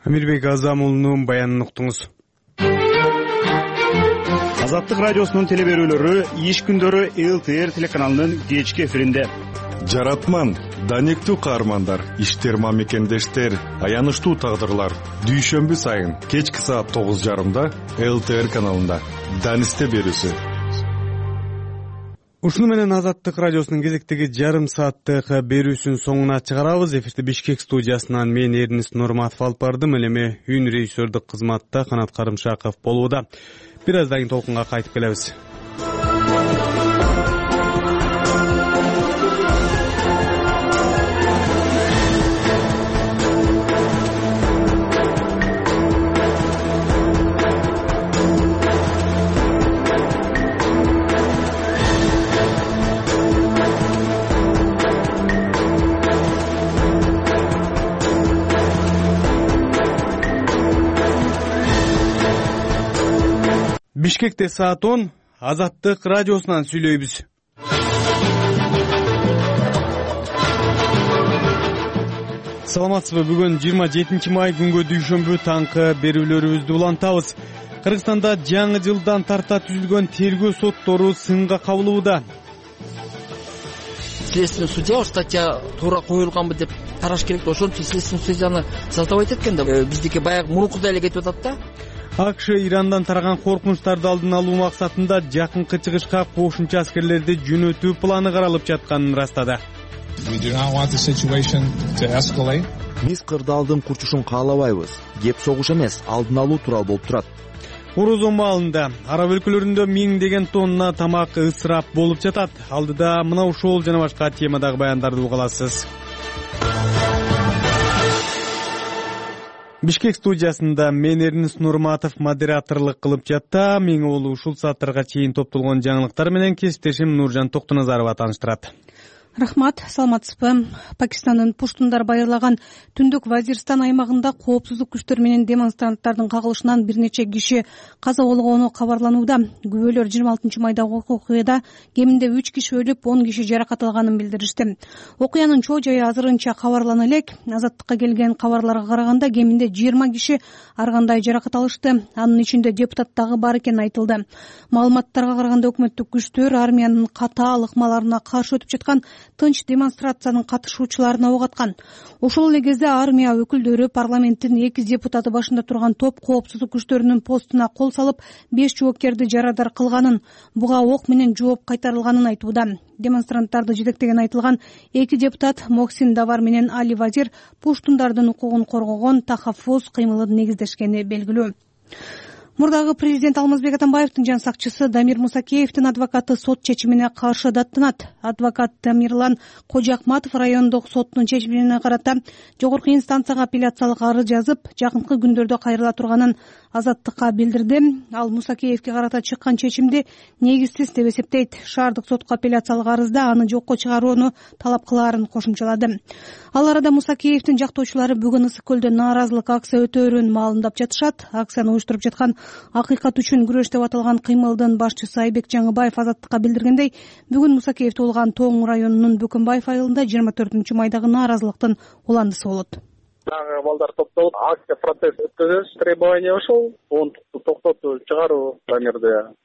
Амирбек Азамулунун баянын уктуңуз. Азаттык радиосунун телеберүүлөрү иш күндөрү ЛТР телеканалынын кечки эфиринде. Жаратман, данектүү каармандар, иштер мамекендештер, аянычтуу тагдырлар. Дүйшөмбү сайын кечки саат 9:30 ЛТР каналында. Данисте берүүсү. Ушуну менен Азаттык радиосунун кезектеги жарым сааттык берүүсүн соңуна чыгарабыз. Эфирди Бишкек студиясынан мен Эрнис Нурматов алып бардым. Ал эми үн режиссердик кызматта Канат Карымшаков болууда. Бир аздан кийин толкунга кайтып келебиз. Бишкекте саат 10, Азаттык радиосунан сүйлөйбүз. Саламатсызбы? Бүгүн 27 май күнгө дүйшөмбү таңкы берүүлөрүбүздү улантабыз. Кыргызстанда жаңы жылдан тарта түзүлгөн тергөө соттору сынга кабылууда. Следственный судья статья туура коюлганбы деп караш керек. Ошон үчүн следственный судьяны создавать эткен да биздики баягы мурункудай эле кетип атат да. АКШ Ирандан тараган коркунучтарды алдын алуу максатында жакынкы чыгышка кошумча аскерлерди жөнөтүү планы каралып жатканын ырастады. Биз кырдаалдын курчушун каалабайбыз. Кеп согуш эмес, алдын алуу тууралуу болуп турат. Орозон маалында араб өлкөлөрүндө миңдеген тонна тамак ысырап болуп жатат. Алдыда мына ушул жана башка темадагы баяндарды уга аласыз. Бишкек студиясында мен Эрнис Нурматов модераторлук кылып жатта. Мен ол ушул сааттарга чейин топтолгон жаңылыктар менен кесиптешим Нуржан Токтоназарова тааныштырат. Рахмат, саламатсызбы? Пакистандын Пуштундар байырлаган Түндүк Вазирстан аймагында коопсуздук күчтөр менен демонстранттардын кагылышынан бир нече киши каза болгону кабарланууда. Күбөлөр 26 майдагы окуяда кеминде 3 киши өлүп, 10 киши жаракат алганын билдиришти. Окуянын чоо жайы азырынча кабарлана элек. Азаттыкка келген кабарларга караганда кеминде 20 киши ар кандай жаракат алышты. Анын ичинде депутат дагы бар экени айтылды. Маалыматтарга караганда өкмөттүк күчтөр армиянын катаал ыкмаларына каршы өтүп жаткан тынч демонстрациянын катышуучуларына ок аткан. Ошол эле кезде армия өкүлдөрү парламенттин 2 депутаты башында турган топ коопсуздук күчтөрүнүн постуна кол салып, 5 жоопкерди жарадар кылганын, буга ок менен жооп кайтарылганын айтууда. Демонстранттарды жетектеген айтылган 2 депутат Моксин Давар менен Али Вазир пуштундардын укугун коргогон тахаффуз кыймылын негиздешкени белгилүү. Мурдагы президент Алмазбек Атамбаевдин жан сакчысы Дамир Мусакеевдин адвокаты сот чечимине каршы даттанат. Адвокат Дамирлан Кожоакматов райондук соттун чечимине карата жогорку инстанцияга апелляциялык арыз жазып, жакынкы күндөрдө кайрыла турганын Азаттыкка билдирди. Ал Мусакеевге карата чыккан чечимди негизсиз деп эсептейт. Шаардык сотко апелляциялык арызда аны жокко чыгарууну талап кылаарын кошумчалады. Ал арада Мусакеевдин жактоочулары бүгүн Ысык көлдө нааразылык акция өтөөрүн маалымдап жатышат. Акцияны уюштуруп жаткан Акыйкат үчүн күрөш деп аталган кыймылдын башчысы Айбек Жаңыбаев Азаттыкка билдиргендей, бүгүн Мусакеев туулган Тоң районунун Бөкөнбаев айылында 24 майдагы нааразылыктын уландысы болот. Дагы балдар топтолуп, акция протест өткөзөбүз. Требование ошол, токтотуп чыгаруу Дамирди.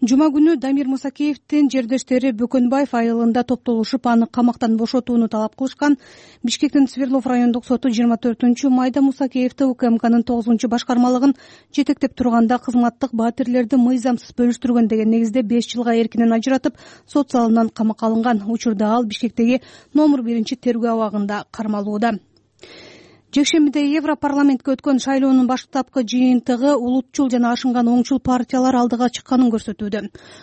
Жума күнү Дамир Мусакеевдин жердештери Бөкөнбаев айылында топтолушуп, аны камактан бошотууну талап кылышкан. Бишкектин Свердлов райондук соту 24 майда Мусакеевди УКМКнын 9-башкармалыгын жетектеп турганда кызматтык батирлерди мыйзамсыз бөлүштүргөн деген негизде 5 жылга эркинен ажыратып, сот залынан камакка алынган. Учурда ал Бишкектеги номер 1-тергөө абагында кармалууда. Жекшембиде Европарламентке өткөн шайлоонун баштапкы жыйынтыгы улутчул жана ашынган оңчул партиялар алдыга чыкканын көрсөтүүдө.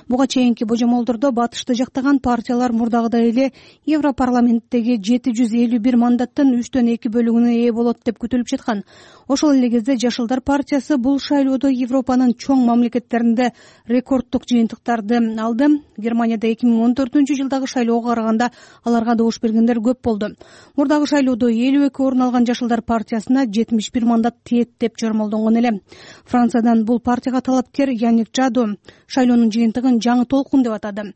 Буга чейинки божомолдордо батышты жактаган партиялар мурдагыдай эле Европарламенттеги 751 мандаттын 3/2 бөлүгүнө ээ болот деп күтүлүп жаткан. Ошол эле кезде Жашылдар партиясы бул шайлоодо Европанын чоң мамлекеттеринде рекорддук жыйынтыктарды алды. Германияда 2014 жылдагы шайлоого караганда аларга добуш бергендер көп болду. Мурдагы шайлоодо 52 орун алган Жашылдар партиясына 71 мандат тиет деп чормолдонгон эле. Франциядан бул партияга талапкер Яник Жадо шайлоонун жыйынтыгын жаңы толкун деп атады.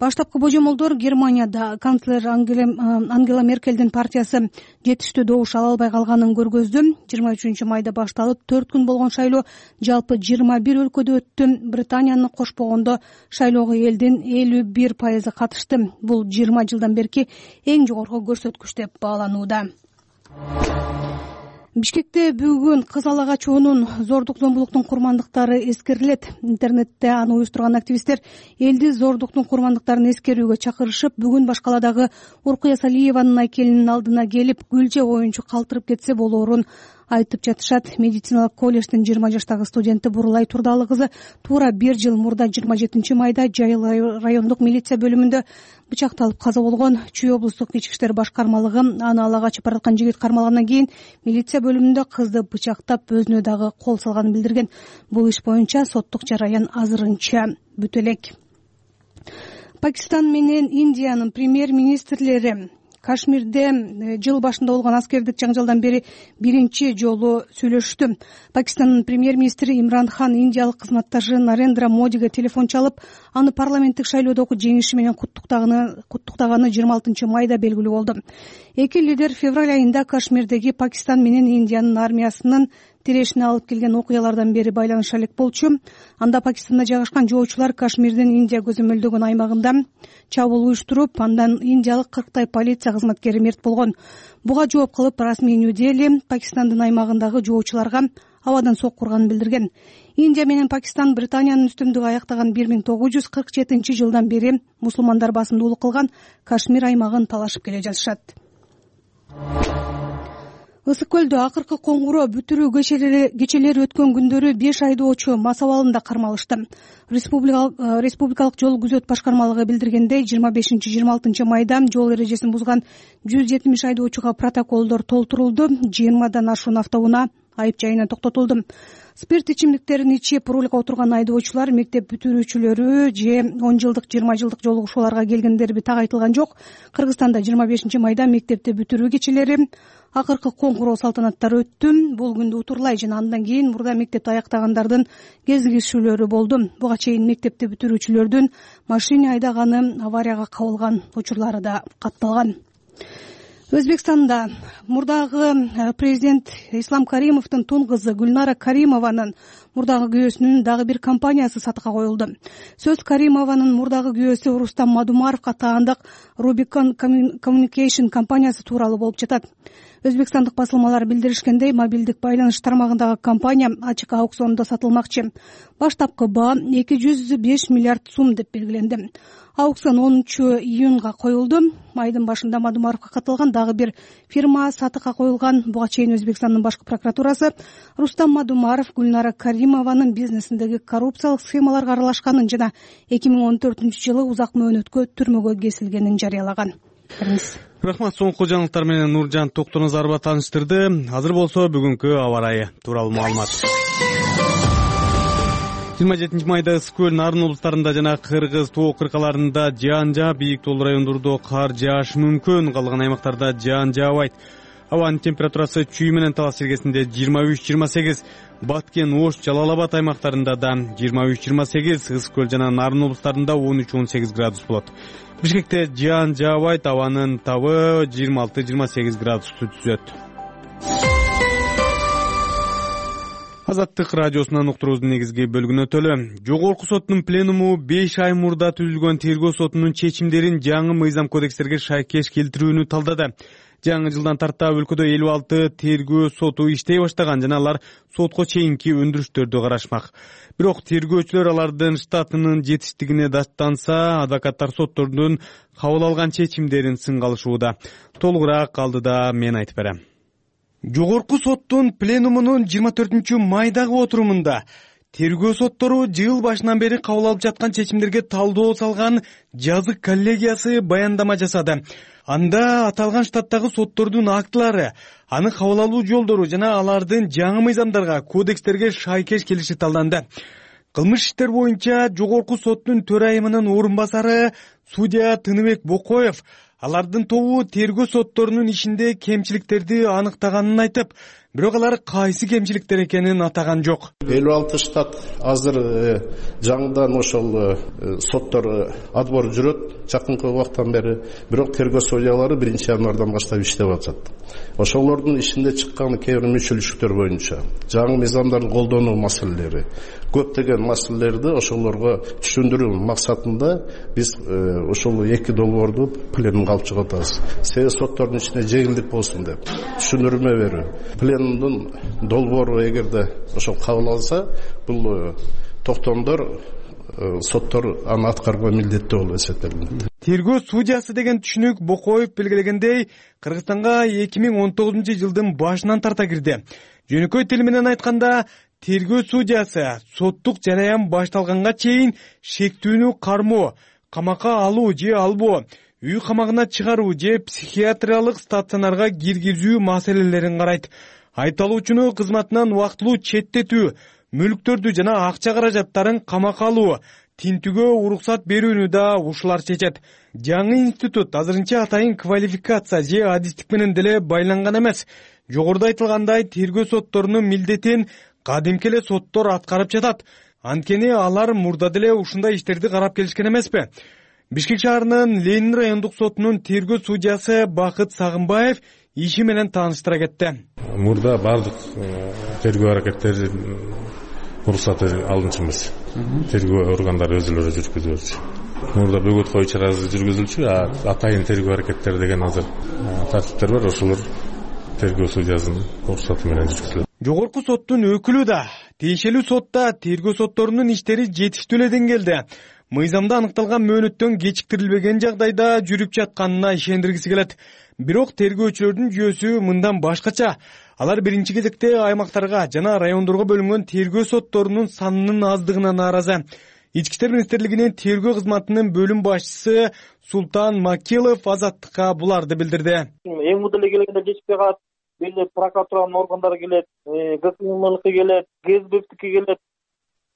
Баштапкы божомолдор Германияда канцлер Ангела Меркелдин партиясы жетиштүү добуш ала албай калганын көргөздү. 23 майда башталып 4 күн болгон шайлоо жалпы 21 өлкөдө өттү. Британияны кошпогондо шайлоого элдин 51% катышты. Бул 20 жылдан берки эң жогорку көрсөткүч деп бааланууда. Бишкекте бүгүн кыз ала качуунун зордук зомбулуктун курмандыктары эскерилет. Интернетте аны уюштурган активисттер элди зордуктун курмандыктарын эскерүүгө чакырышып, бүгүн Башкаладагы Уркуя Салиеванын айкелинин алдына келип, гүл же оюнчу калтырып кетсе болоорун айтып жатышат. Медициналык колледждин 20 жаштагы студенти Бурулай Турдалы кызы туура 1 жыл мурда 27 майда Жайыл райондук милиция бөлүмүндө бычакталып каза болгон. Чүй облустук ички иштер башкармалыгы аны ала качып бараткан жигит кармалгандан кийин милиция бөлүмүндө кызды бычактап, өзүнө дагы кол салганын билдирген. Бул иш боюнча соттук жараян азырынча бүтө элек. Пакистан менен Индиянын премьер-министрлери Кашмирде жыл башында болгон аскердик жаңжалдан бери биринчи жолу сүйлөштү. Пакистандын премьер-министри Имран Хан индиялык кызматташы Нарендра Модиге телефон чалып, аны парламенттик шайлоодогу жеңиши менен куттуктаганы 26 майда белгилүү болду. Эки лидер февраль айында Кашмирдеги Пакистан менен Индиянын армиясынын тирешине алып келген окуялардан бери байланыша элек болчу. Анда Пакистанда жайгашкан жоочулар Кашмирдин Индия көзөмөлдөгөн аймагында чабуул уюштуруп, андан индиялык 40 полиция кызматкери мерт болгон. Буга жооп кылып, расмий Нью-Дели Пакистандын аймагындагы жоочуларга абадан сок урганын билдирген. Индия менен Пакистан Британиянын үстүмдүгү аяктаган 1947-жылдан бери мусулмандар басымдуулук кылган Кашмир аймагын талашып келе жатышат. Ысык көлдө акыркы коңгуроо бүтүрүү кечелери өткөн күндөрү 5 айдоочу мас абалында кармалышты. Республикалык жол күзөт башкармалыгы билдиргендей, 25-26 майда жол эрежесин бузган 170 айдоочуга протоколдор толтурулду. 20дан ашуун автоунаа айып жайына токтотулду. Спирт ичимдиктерин ичип рулга отурган айдоочулар мектеп бүтүрүүчүлөрү же 10 жылдык 20 жылдык жолугушууларга келгендерби так айтылган жок. Кыргызстанда 25 майда мектепти бүтүрүү кечелери акыркы коңгуроо салтанаттары өттү. Бул күндү утурлай жана андан кийин мурда мектепти аяктагандардын кезигишүүлөрү болду. Буга чейин мектепти бүтүрүүчүлөрдүн машина айдаганы, аварияга кабылган учурлары да катталган. Өзбекстанда мурдагы президент Ислам Каримовдун тун кызы Гүлнара Каримованын мурдагы күйөөсүнүн дагы бир компаниясы сатыкка коюлду. Сөз Каримованын мурдагы күйөөсү Рустам Мадумаровго таандык Rubicon Communication компаниясы тууралуу болуп жатат. Өзбекстандык басылмалар билдиришкендей, мобилдик байланыш тармагындагы компания ачык аукциондо сатылмакчы. Баштапкы баа 205 миллиард сум деп белгиленди. Аукцион 10-июнга коюлду. Майдын башында Мадумаровго катылган дагы бир фирма сатыкка коюлган. Буга чейин Өзбекстандын башкы прокуратурасы Рустам Мадумаров Гүлнара Каримованын бизнесиндеги коррупциялык схемаларга аралашканын жана 2014-жылы узак мөөнөткө түрмөгө кесилгенин жарыялаган. Рахмат. Соңку жаңылыктар менен Нуржан Токтоназарова тааныштырды. Азыр болсо бүгүнкү аба ырайы тууралуу маалымат. 27 майда ысык көл Нарын облустарында жана Кыргыз тоо кыркаларында жаан жаап, бийик тоолуу райондордо кар жаашы мүмкүн. Калган аймактарда жаан жаабайт. Абанын температурасы Чүй менен Талас жергесинде 23-28, Баткен, Ош, Жалал Абад аймактарында да 23-28, ысык көл жана Нарын облустарында 13-18 градус болот. Бишкекте жаан жаабайт, абанын табы 26-28 градусту түзөт. Азаттык радиосунан уктуруубуздун негизги бөлүгүнө өтөлү. Жогорку соттун пленуму 5 ай мурда түзүлгөн тергөө сотунун чечимдерин жаңы мыйзам кодекстерге шайкеш келтирүүнү талдады. Жаңы жылдан тарта өлкөдө 56 тергөө соту иштей баштаган жана алар сотко чейинки өндүрүштөрдү карашмак. Бирок тергөөчүлөр алардын штатынын жетиштигине даттанса, адвокаттар соттордун кабыл алган чечимдерин сынга алышууда. Толугураак алдыда мен айтып берем. Жогорку соттун пленумунун 24 майдагы отурумунда тергөө соттору жыл башынан бери кабыл алып жаткан чечимдерге талдоо салган жазык коллегиясы баяндама жасады. Анда аталган штаттагы соттордун актылары, аны кабыл алуу жолдору жана алардын жаңы мыйзамдарга, кодекстерге шайкеш келиши талданды. Кылмыш иштер боюнча жогорку соттун төрайымынын орун басары судья Тыныбек Бокоев алардын тобу тергөө сотторунун ишинде кемчиликтерди аныктаганын айтып, бирок алар кайсы кемчиликтер экенин атаган жок. 56 штат азыр жаңыдан ошол соттор отбор жүрөт жакынкы убакыттан бери, бирок тергөө судьялары 1-январдан баштап иштеп атат. Ошолордун ишинде чыккан кээ бир мүчөлүктөр боюнча жаңы мыйзамдарды колдонуу маселелери, көптөгөн маселелерди ошолорго түшүндүрүү максатында биз ошол эки долбоорду пленумга алып чыгып атабыз. Себеби соттордун ичинде жеңилдик болсун деп түшүндүрмө берүү. Плен районунун долбоору эгерде ошол кабыл алса, бул токтомдор соттор аны аткарууга милдеттүү болуп эсептелинет. Тергөө судьясы деген түшүнүк Бокоев белгилегендей Кыргызстанга 2019 жылдын башынан тарта кирди. Жөнөкөй тил менен айтканда, тергөө судьясы соттук жараян башталганга чейин шектүүнү кармоо, камакка алуу же албоо, үй камагына чыгаруу же психиатриялык стационарга киргизүү маселелерин карайт. Айыпталуучуну кызматынан убактылуу четтетүү, мүлктөрдү жана акча каражаттарын камакка алуу, тинтүүгө уруксат берүүнү да ушулар чечет. Жаңы институт азырынча атайын квалификация же адистик менен деле байланган эмес. Жогоруда айтылгандай, тергөө сотторунун милдетин кадимки эле соттор аткарып жатат. Анткени алар мурда деле ушундай иштерди карап келишкен эмеспи? Бишкек шаарынын Ленин райондук сотунун тергөө судьясы Бакыт Сагынбаев иши менен тааныштыра кетти. Мурда бардык тергөө аракеттери уруксаты алынчу эмес. Тергөө органдары өзүлөрү жүргүзүлчү. Мурда бөгөт кою чарасы жүргүзүлчү, атайын тергөө аракеттери деген азыр тартиптер бар, ошолор тергөө судьясынын уруксаты менен жүргүзүлөт. Жогорку соттун өкүлү да, тиешелүү сотта тергөө сотторунун иштери жетиштүү эле деңгээлде, мыйзамда аныкталган мөөнөттөн кечиктирилбеген жагдайда жүрүп жатканына ишендиргиси келет. Бирок тергөөчүлөрдүн жүйөсү мындан башкача. Алар биринчи кезекте аймактарга жана райондорго бөлүнгөн тергөө сотторунун санынын аздыгына нааразы. Ички иштер министрлигинин тергөө кызматынын бөлүм башчысы Султан Макилов Азаттыкка буларды билдирди. Эң мурда эле келгенде жетишпей калат. Бирде прокуратуранын органдары келет, ГКМК келет, ГСБК келет.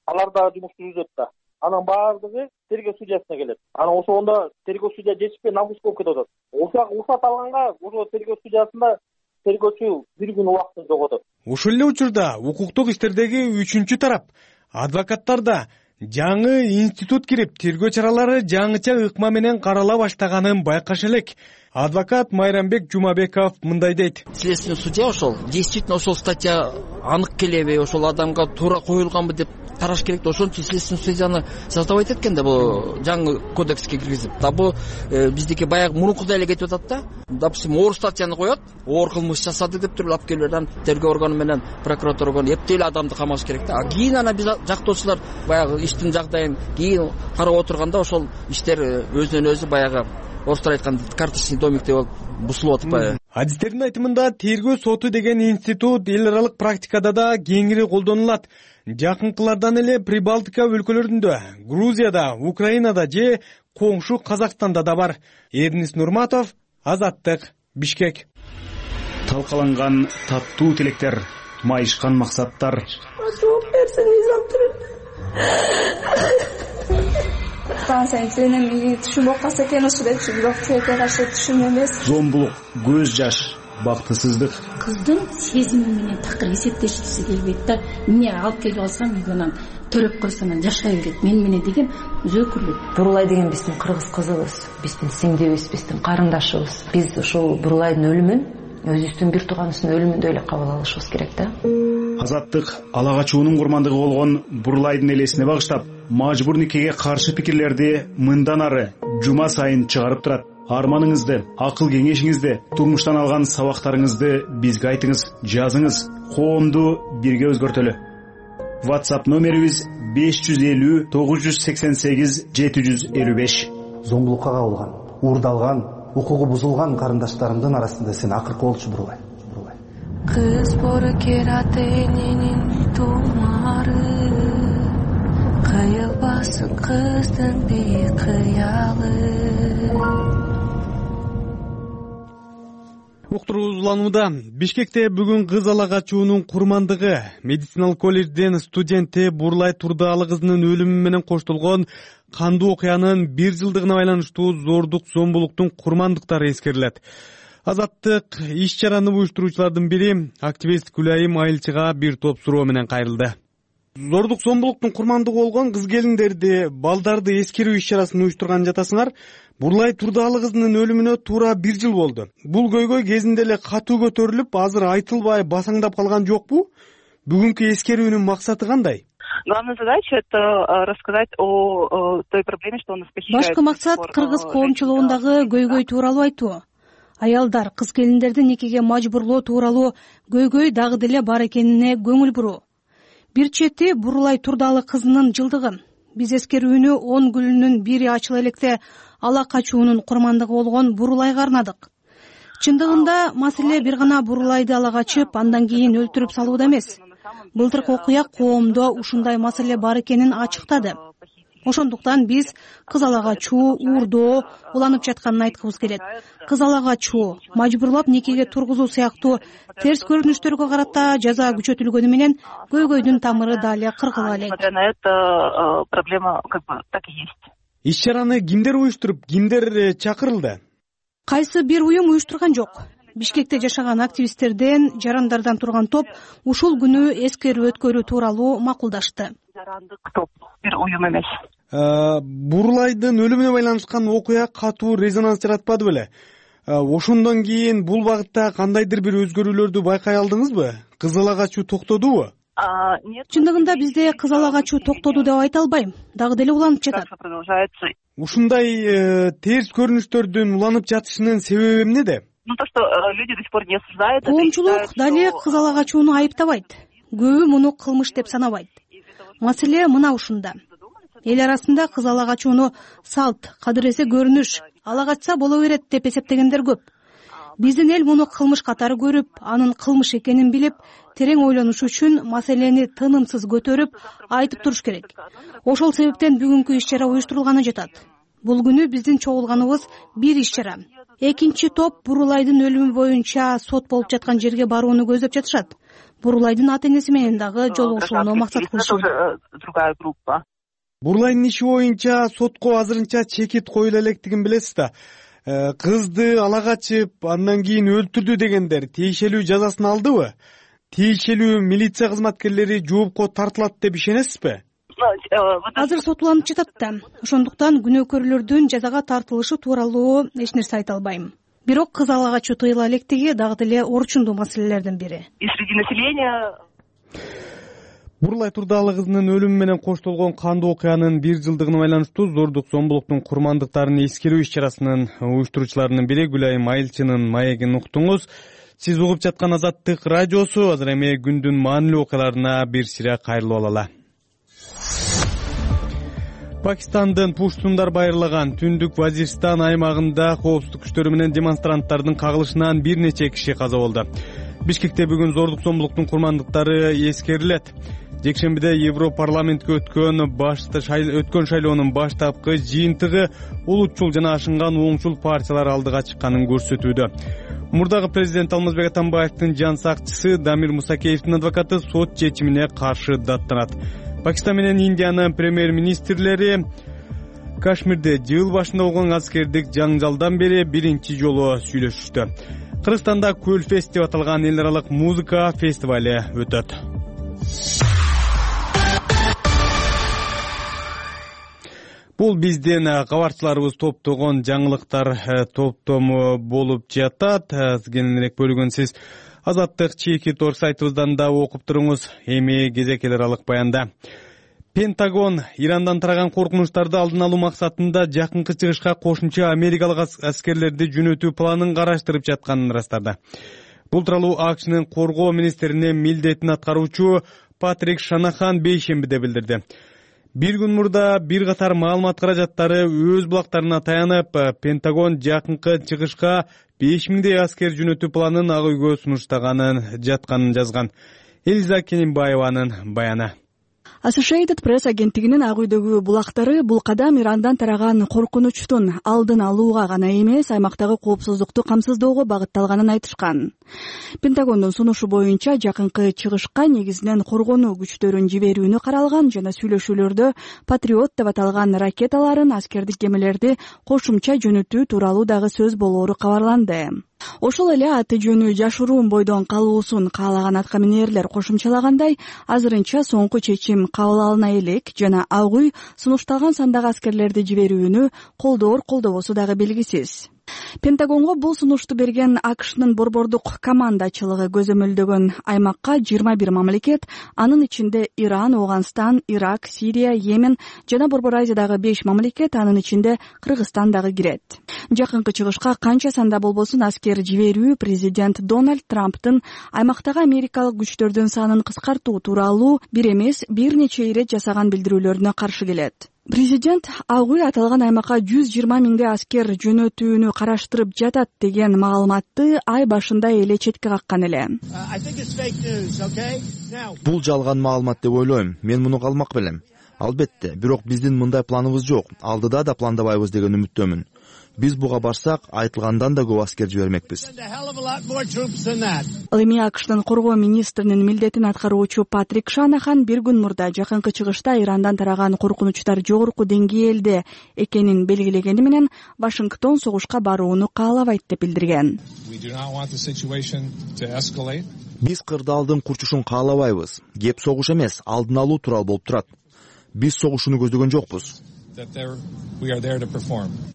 Алар да жумушту жүргүзөт да. Анан баардыгы тергөө судьясына келет. Анан ошондо тергөө судья жетишпей намус болуп кетип атат. Уруксат алганга ошо тергөө судьясында тергөөчү бир күн убактын жоготот. Ушул эле учурда укуктук иштердеги үчүнчү тарап, адвокаттар да жаңы институт кирип, тергөө чаралары жаңыча ыкма менен карала баштаганын байкаш элек. Адвокат Майрамбек Жумабеков мындай дейт. Следственный судья ошол действительно ошол статья анык келеби, ошол адамга туура коюлганбы деп караш керек. Ошон үчүн следственный судьяны создавать эткен да бул жаңы кодекске киргизип. Да бул биздики баягы мурункудай эле кетип атат да. Допустим, оор статьяны коет, оор кылмыш жасады деп туруп алып келип анан тергөө органы менен прокуратура органы эптей эле адамды камаш керек да. Кийин анан биз жактоочулар баягы иштин жагдайын кийин карап отурганда ошол иштер өзүнөн өзү баягы орустар айтканда карточный домиктей болуп бузулуп атпайбы? Адистердин айтымында тергөө соту деген институт эл аралык практикада да кеңири колдонулат. Жакынкылардан эле Прибалтика өлкөлөрүндө, Грузияда, Украинада же коңшу Казакстанда да бар. Эрнис Нурматов, Азаттык, Бишкек. Талкаланган таттуу тилектер, майышкан максаттар. Жооп берсең сенин түшүнбөй калса экен ошо депчи, бирок тилекке каршы түшүн эмес. Зомбулук, көз жаш, бактысыздык. Кыздын сезими менен такыр эсептешкиси келбейт да. Эмне алып келип алсам үйгөнөн төрөп койсом анан жашай берет. Мен менен деген өзөкүрлүк. Бурулай деген биздин кыргыз кызыбыз, биздин сиңдибиз, биздин карындашыбыз. Биз ошол Бурулайдын өлүмүн өзүбүздүн бир тууганыбыздын өлүмүндөй эле кабыл алышыбыз керек да. Азаттык ала качуунун курмандыгы болгон Бурулайдын элесине багыштап, мажбур никеге каршы пикирлерди мындан ары жума сайын чыгарып турат. Арманыңызды, акыл кеңешиңизди, турмуштан алган сабактарыңызды бизге айтыңыз, жазыңыз. Коомду бирге өзгөртөлү. WhatsApp номерибиз 550 988 755. Зомбулукка кабылган, уурдалган, укугу бузулган карындаштарымдын арасында сен акыркы болчу Бурулай. Кыз боркераты эненин тумары, кыйылбасын кыздын бийик кыялы. Уктуруубуз уланууда. Бишкекте бүгүн кыз ала качуунун курмандыгы медициналык колледждин студенти Бурулай Турдаалы кызынын өлүмү менен коштолгон кандуу окуянын 1 жылдыгына байланыштуу зордук зомбулуктун курмандыктары эскерилет. Азаттык иш чараны уюштуруучулардын бири активист Гүлайым Айылчыга бир топ суроо менен кайрылды. Зордук зомбулуктун курмандыгы болгон кыз келиндерди, балдарды эскерүү иш чарасын уюштурган жатасыңар. Бурулай Турдаалы кызынын өлүмүнө туура 1 жыл болду. Бул көйгөй кезинде эле катуу көтөрүлүп, азыр айтылбай басаңдап калган жокпу? Бүгүнкү эскерүүнүн максаты кандай? Главная задача — это рассказать о той проблеме, что у нас похищают. Башкы максат кыргыз коомчулугундагы көйгөй тууралуу айтуу. аялдар, кыз келиндерди никеге мажбурлоо тууралуу көйгөй дагы деле бар экенине көңүл буруу. Бир чети Бурулай Турдалы кызынын жылдыгы. Биз эскерүүнү 10 гүлүнүн бири ачыла электе ала качуунун курмандыгы болгон Бурулайга арнадык. Чындыгында маселе бир гана Бурулайды ала качып, андан кийин өлтүрүп салууда эмес. Былтыркы окуя коомдо ушундай маселе бар экенин ачыктады. Ошондуктан биз кыз ала качуу, уурдоо уланып жатканын айткыбыз келет. Кыз ала качуу, мажбурлап никеге тургузуу сыяктуу терс көрүнүштөргө карата жаза күчөтүлгөнү менен көйгөйдүн тамыры дале кыргыла элек. Проблема так и есть. Иш-чараны кимдер уюштуруп, кимдер чакырылды? Кайсы бир уюм уюштурган жок. Бишкекте жашаган активисттерден, жарандардан турган топ ушул күнү эскерүү өткөрүү тууралуу макулдашты. Жарандык топ, бир уюм эмес. Бурулайдын өлүмүнө байланышкан окуя катуу резонанс жаратпады беле? Ошондон кийин бул багытта кандайдыр бир өзгөрүүлөрдү байкай алдыңызбы? Кыз ала качуу токтодубу? Чындыгында бизде кыз ала качуу токтоду деп айта албайм. Дагы деле уланып жатат. Ушундай терс көрүнүштөрдүн уланып жатышынын себеби эмнеде? То, что люди до сих пор не осуждают. Коомчулук дале кыз ала качууну айыптабайт. Көбү муну кылмыш деп санабайт. Маселе мына ушунда. Эл арасында кыз ала качууну салт, кадыресе көрүнүш, ала качса боло берет деп эсептегендер көп. Биздин эл муну кылмыш катары көрүп, анын кылмыш экенин билип, терең ойлонуш үчүн маселени тынымсыз көтөрүп, айтып туруш керек. Ошол себептен бүгүнкү иш-чара уюштурулганы жатат. Бул күнү биздин чогулганыбыз бир иш-чара. Экинчи топ Бурулайдын өлүмү боюнча сот болуп жаткан жерге барууну көздөп жатышат. Бурулайдын ата-энеси менен дагы жолугушууну максат кылышат. Другая группа. Бурулайдын иши боюнча сотко азырынча чекит коюла электигин билесиз да. Кызды ала качып, андан кийин өлтүрдү дегендер тийишелүү жазасын алдыбы? Тийишелүү милиция кызматкерлери жоопко тартылат деп ишенесизби? Азыр сот уланып жатат да. Ошондуктан күнөөкөрлөрдүн жазага тартылышы тууралуу эч нерсе айта албайм. Бирок кыз ала качуу тыйыла электиги дагы деле орчундуу маселелердин бири. И среди населения Бурулай Турдалы кызынын өлүмү менен коштолгон кандуу окуянын 1 жылдыгына байланыштуу зордук зомбулуктун курмандыктарын эскерүү иш-чарасынын уюштуруучуларынын бири Гүлайым Айылчынын маегин уктуңуз. Сиз угуп жаткан Азаттык радиосу. Азыр эми күндүн маанилүү окуяларына бир сире кайрылып алалы. Пакистандын Пуштундар байырлаган Түндүк Вазиристан аймагында коопсуздук күчтөрү менен демонстранттардын кагылышынан бир нече киши каза болду. Бишкекте бүгүн зордук зомбулуктун курмандыктары эскерилет. Жекшембиде Европарламентке өткөн шайлоонун баштапкы жыйынтыгы улутчул жана ашынган оңчул партиялар алдыга чыкканын көрсөтүүдө. Мурдагы президент Алмазбек Атамбаевдин жан сакчысы Дамир Мусакеевдин адвокаты сот чечимине каршы даттанат. Пакистан менен Индиянын премьер-министрлери Кашмирде жыл башында болгон аскердик жаңжалдан бери биринчи жолу сүйлөшүштү. Кыргызстанда Көлфест деп аталган эл аралык музыка фестивали өтөт. Бул биздин кабарчыларыбыз топтогон жаңылыктар топтому болуп жатат. Кененирээк бөлүгүн сиз Азаттык чекит орг сайтыбыздан да окуп туруңуз. Эми кезек эл аралык баянда. Пентагон Ирандан тараган коркунучтарды алдын алуу максатында жакынкы чыгышка кошумча америкалык аскерлерди жөнөтүү планын караштырып жатканын ырастады. Бул тууралуу АКШнын коргоо министринин милдетин аткаруучу Патрик Шанахан бейшембиде билдирди. Бир күн мурда бир катар маалымат каражаттары өз булактарына таянып, Пентагон жакынкы чыгышка 5000 аскер жөнөтүү планын ак үйгө сунуштаганын жатканын жазган. Элиза Кененбаеванын баяны. Associated Press агенттигинин ак үйдөгү булактары бул кадам Ирандан тараган коркунучтун алдын алууга гана эмес, аймактагы коопсуздукту камсыздоого багытталганын айтышкан. Пентагондун сунушу боюнча жакынкы чыгышка негизинен коргонуу күчтөрүн жиберүүнү каралган жана сүйлөшүүлөрдө Патриот деп аталган ракеталарын, аскердик кемелерди кошумча жөнөтүү тууралуу дагы сөз болоору кабарланды. Ошол эле аты жөнү жашыруун бойдон калуусун каалаган аткаминерлер кошумчалагандай, азырынча соңку чечим кабыл алына элек жана ак үй сунушталган сандагы аскерлерди жиберүүнү колдоор колдобосу дагы белгисиз. Пентагонго бул сунушту берген АКШнын борбордук командачылыгы көзөмөлдөгөн аймакка 21 мамлекет, анын ичинде Иран, Афганистан, Ирак, Сирия, Йемен жана Борбор Азиядагы 5 мамлекет, анын ичинде Кыргызстан дагы кирет. Жакынкы чыгышка канча санда болбосун аскер жиберүү президент Дональд Трамптын аймактагы америкалык күчтөрдүн санын кыскартуу тууралуу бир эмес, бир нече ирет жасаган билдирүүлөрүнө каршы келет. Президент ак үй аталган аймакка 120 миңге аскер жөнөтүүнү караштырып жатат деген маалыматты ай башында эле четке каккан эле. Бул жалган маалымат деп ойлойм. Мен муну калмак белем. Албетте, бирок биздин мындай планыбыз жок. Алдыда да пландабайбыз деген үмүттөмүн. Биз буга барсак, айтылгандан да көп аскер жибермекпиз. Ал эми АКШнын коргоо министринин милдетин аткаруучу Патрик Шанахан бир күн мурда жакынкы чыгышта Ирандан тараган коркунучтар жогорку деңгээлде экенин белгилегени менен Вашингтон согушка барууну каалабайт деп билдирген. Биз кырдаалдын курчушун каалабайбыз. Кеп согуш эмес, алдын алуу тууралуу болуп турат. Биз согушууну көздөгөн жокпуз.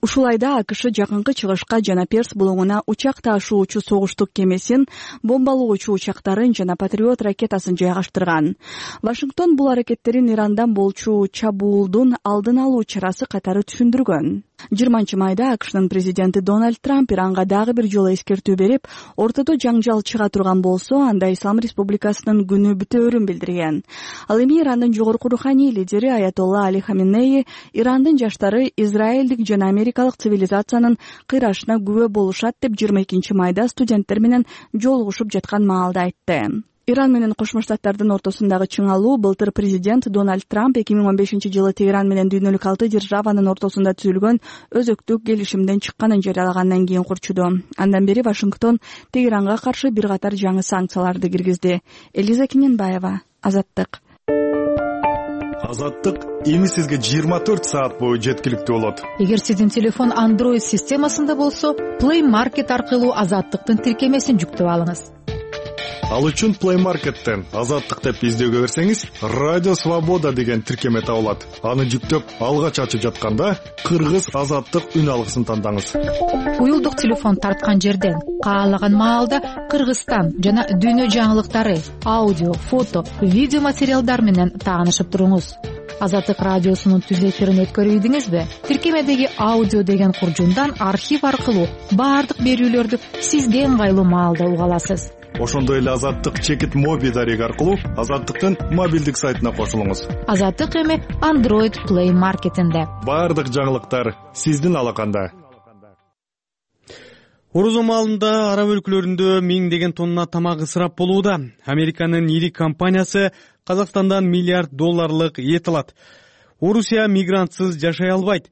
Ушул айда АКШ жакынкы чыгышка жана Перс булуңуна учак ташуучу согуштук кемесин, бомбалоочу учактарын жана Патриот ракетасын жайгаштырган. Вашингтон бул аракеттерин Ирандан болчу чабуулдун алдын алуу чарасы катары түшүндүргөн. 20-майда АКШнын президенти Дональд Трамп Иранга дагы бир жолу эскертүү берип, ортодо жаңжал чыга турган болсо, анда Ислам Республикасынын күнү бүтөөрүн билдирген. Ал эми Ирандын жогорку руханий лидери Аятолла Али Хаменеи Ирандын жаштары израилдик жана америкалык цивилизациянын кыйрашына күбө болушат деп 22-майда студенттер менен жолугушуп жаткан маалда айтты. Иран менен Кошмо Штаттардын ортосундагы чыңалуу былтыр президент Дональд Трамп 2015-жылы Тегеран менен дүйнөлүк 6 державанын ортосунда түзүлгөн өзөктүк келишимден чыкканын жарыялагандан кийин курчуду. Андан бери Вашингтон Тегеранга каршы бир катар жаңы санкцияларды киргизди. Элиза Киненбаева, Азаттык. Азаттык эми сизге 24 саат бою жеткиликтүү болот. Эгер сиздин телефон Android системасында болсо, Play Market аркылуу Азаттыктын тиркемесин жүктөп алыңыз. Ал үчүн Play Market'тен Азаттык деп издөөгө берсеңиз, Радио Свобода деген тиркеме табылат. Аны жүктөп, алгач ачып жатканда Кыргыз Азаттык үн алгысын тандаңыз. Уюлдук телефон тарткан жерден каалаган маалда Кыргызстан жана дүйнө жаңылыктары, аудио, фото, видео материалдар менен таанышып туруңуз. Азаттык радиосунун түзөтүлөрүн өткөрүбүдүңүзбү? Тиркемедеги аудио деген куржундан архив аркылуу баардык берүүлөрдү сизге ыңгайлуу маалда уга аласыз. Ошондой эле Азаттык чекит моби дарек аркылуу Азаттыктын мобилдик сайтына кошулуңуз. Азаттык эми Android Play Market'инде. Баардык жаңылыктар сиздин алаканда. Орозо маалында араб өлкөлөрүндө миңдеген тонна тамак ысырап болууда. Американын ири компаниясы Казакстандан $1 миллиард эт алат. Орусия мигрантсыз жашай албайт.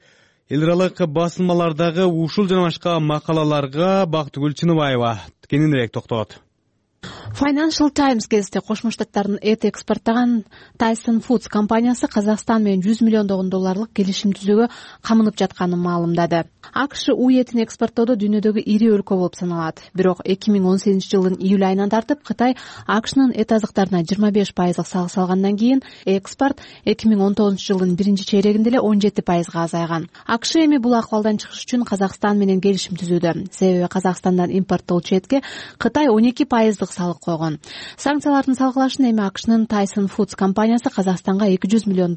Эл аралык басылмалардагы ушул жана башка макалаларга Бактыгүл Чыныбаева кененирээк токтолот. Financial Times газети Кошмо Штаттардын эт экспорттаган Tyson Foods компаниясы Казакстан менен $100 миллион келишим түзүүгө камынып жатканын маалымдады. АКШ уй этин экспорттоодо дүйнөдөгү ири өлкө болуп саналат. Бирок 2018-жылдын июль айынан тартып Кытай АКШнын эт азыктарына 25% салық салгандан кийин экспорт 2019-жылдын биринчи чейрегинде эле 17% азайган. АКШ эми бул акыбалдан чыгыш үчүн Казакстан менен келишим түзүүдө. Себеби Казакстандан импорттолчу этке Кытай 12% салык койгон. Санкциялардын салгылашын эми АКШнын Tyson Foods компаниясы Казакстанга $200 миллион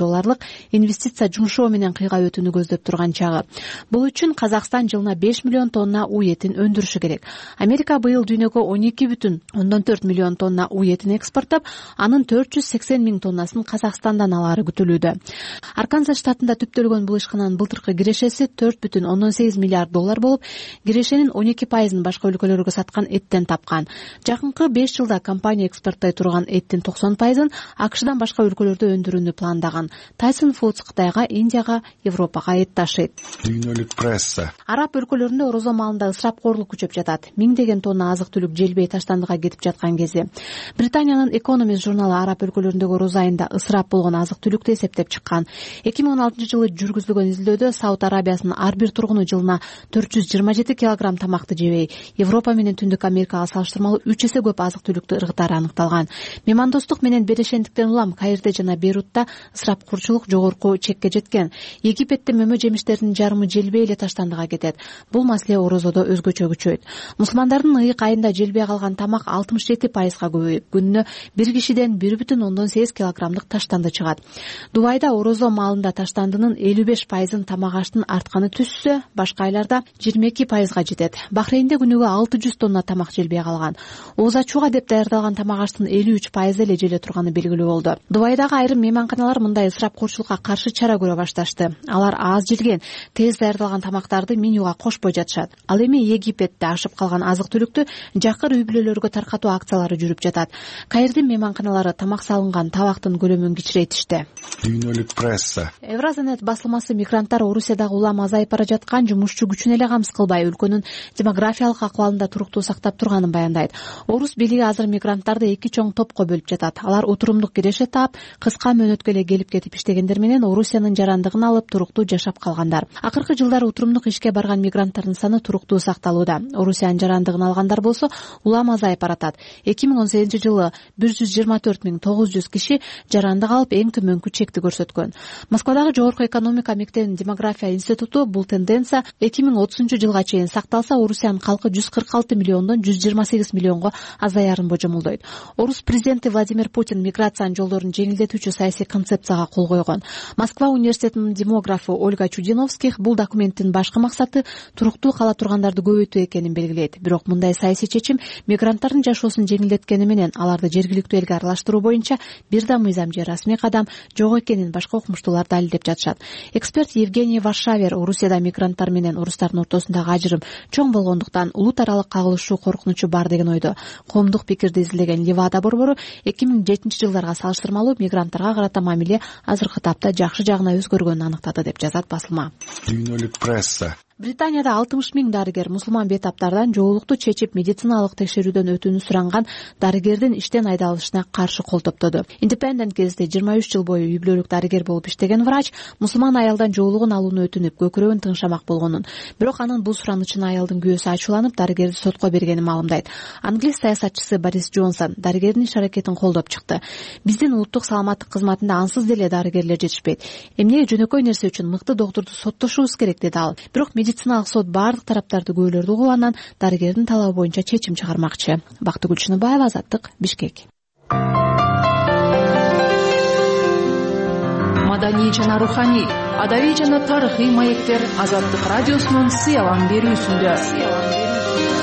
инвестиция жумшоо менен кыйга өтүүнү көздөп турган чагы. Бул үчүн Казакстан жылына 5 миллион тонна уй этин өндүрүшү керек. Америка быйыл дүйнөгө 12,4 миллион тонна уй этин экспорттоп, анын 480 миң тоннасын Казакстандан алары күтүлүүдө. Арканзас штатында түптөлгөн бул ишкананын былтыркы кирешеси $4,8 миллиард болуп, кирешенин 12%ын башка өлкөлөргө саткан эттен тапкан. Жакынкы 5 жылда компания экспорттой турган эттин 90%ын АКШдан башка өлкөлөрдө өндүрүүнү пландаган. Tyson Foods Кытайга, Индияга, Европага эт ташыйт. Дүйнөлүк пресса. Араб өлкөлөрүндө орозо маалында ысырапкорлук күчөп жатат. Миңдеген тонна азык-түлүк желбей таштандыга кетип жаткан кези. Британиянын Economist журналы араб өлкөлөрүндөгү орозо айында ысырап болгон азык-түлүктү эсептеп чыккан. 2016-жылы жүргүзүлгөн изилдөөдө Сауд Арабиясынын ар бир тургуну жылына 427 килограмм тамакты жебей, Европа менен Түндүк Америкага салыштырмалуу 3 эсе көп азык түлүктү ыргытары аныкталган. Меймандостук менен берешендиктен улам Каирде жана Бейрутта ысырапкорчулук жогорку чекке жеткен. Египетте мөмө жемиштердин жарымы желбей эле таштандыга кетет. Бул маселе орозодо өзгөчө күчөйт. Мусулмандардын ыйык айында желбей калган тамак 67%га көбөйүп, күнүнө бир кишиден 1,8 килограммдык таштанды чыгат. Дубайда орозо маалында таштандынын 55%ын тамак аштын артканы түшсө, башка айларда 22%га жетет. Бахрейнде күнүгө 600 тонна тамак желбей калган. Ооз ачууга деп даярдалган тамак аштын 53% эле желе турганы белгилүү болду. Дубайдагы айрым мейманканалар мындай ысырапкорчулукка каршы чара көрө башташты. Алар аз желген, тез даярдалган тамактарды менюга кошпой жатышат. Ал эми Египетте ашып калган азык-түлүктү жакыр үй бүлөлөргө таркатуу акциялары жүрүп жатат. Каирдин мейманканалары тамак салынган табактын көлөмүн кичирейтишти. Дүйнөлүк пресса. Евразанет басылмасы мигранттар Орусиядагы улам азайып бара жаткан жумушчу күчүн эле камсыз кылбай, өлкөнүн демографиялык акыбалында туруктуу сактап турганын баяндайт. Орус бийлиги азыр мигранттарды эки чоң топко бөлүп жатат. Алар отурумдук киреше таап, кыска мөөнөткө эле келип кетип иштегендер менен Орусиянын жарандыгын алып туруктуу жашап калгандар. Акыркы жылдары отурумдук ишке барган мигранттардын саны туруктуу сакталууда. Орусиянын жарандыгын алгандар болсо улам азайып баратат. 2018-жылы 124.900 киши жарандык алып эң төмөнкү чекти көрсөткөн. Москвадагы Жогорку экономика мектебинин демография институту бул тенденция 2030-жылга чейин сакталса, Орусиянын калкы 146 миллиондон 128 миллионго азаярын божомолдойт. Орус президенти Владимир Путин миграциянын жолдорун жеңилдетүүчү саясий концепцияга кол койгон. Москва университетинин демографы Ольга Чудиновских бул документтин башкы максаты туруктуу кала тургандарды көбөйтүү экенин белгилейт. Бирок мындай саясий чечим мигранттардын жашоосун жеңилдеткени менен аларды жергиликтүү элге аралаштыруу боюнча бир да мыйзам же расмий кадам жок экенин башка окумуштуулар далилдеп жатышат. Эксперт Евгений Варшавер Орусияда мигранттар менен орустардын ортосундагы ажырым чоң болгондуктан улут аралык кагылышуу коркунучу бар деген ойдо. Коомдук пикирди изилдеген Левада борбору 2007-жылдарга салыштырмалуу мигранттарга карата мамиле азыркы тапта жакшы жагына өзгөргөнүн аныктады деп жазат басылма. Дүйнөлүк пресса. Британияда 60 000 дарыгер мусулман бейтаптардан жоолукту чечип медициналык текшерүүдөн өтүүнү суранган дарыгердин иштен айдалышына каршы кол топтоду. Independent гезити 23 жыл бою үй бүлөлүк дарыгер болуп иштеген врач мусулман аялдан жоолугун алууну өтүнүп, көкүрөгүн тыңшамак болгонун, бирок анын бул суранычына аялдын күйөөсү ачууланып, дарыгерди сотко бергенин маалымдайт. Англис саясатчысы Борис Джонсон дарыгердин иш аракетин колдоп чыкты. Биздин улуттук саламаттык кызматында ансыз деле дарыгерлер жетишпейт. Эмне жөнөкөй нерсе үчүн мыкты доктурду соттошубуз керек, деди ал. Бирок медициналык сот баардык тараптарды күбөлөрдү угуп, анан дарыгердин талабы боюнча чечим чыгармакчы. Бактыгүл Чыныбаева, Азаттык, Бишкек. Маданий жана руханий, адабий жана тарыхый маектер Азаттык радиосунун сыялан берүүсүндө.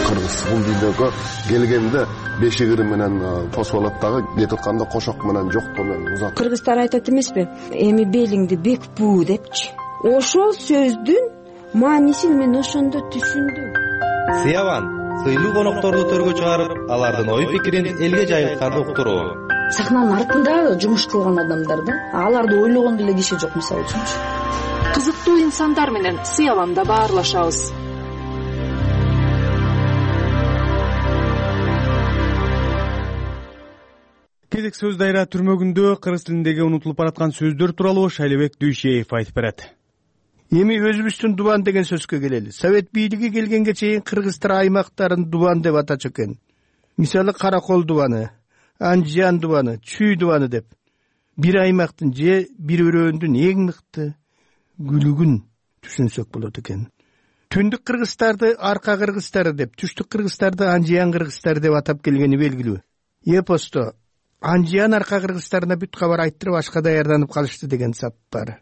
Кыргыз бул видеого келгенде бешигири менен тосуп алат дагы, кетип атканда кошок менен жоктоо менен узат. Кыргыздар айтат эмеспи? Эми белиңди бекпүү депчи. Ошол сөздүн маанисин мен ошондо түшүндүм. Сыяван сыйлуу конокторду төргө чыгарып, алардын ой пикирин элге жайылтканды уктуруу. Сахнанын артында жумуш кылган адамдар да, аларды ойлогон деле киши жок, мисалы үчүнчү. Кызыктуу инсандар менен Сыяванда баарлашабыз. Кезек сөз дайра түрмөгүндө кыргыз тилиндеги унутулуп бараткан сөздөр тууралуу Шайлебек Дүйшеев айтып берет. Эми өзүбүздүн дубан деген сөзгө келели. Совет бийлиги келгенге чейин кыргыздар аймактарын дубан деп атачу экен. Мисалы Каракол дубаны, Анжиян дубаны, Чүй дубаны деп. Бир аймактын же бир өрөөндүн эң мыкты күлүгүн түшүнсөк болот экен. Түндүк кыргыздарды Арка кыргыздары деп, түштүк кыргыздарды Анжиян кыргыздары деп атап келгени белгилүү. Эпосто Анжиян Арка кыргыздарына бүт кабар айттырып ашка даярданып калышты деген сап бар.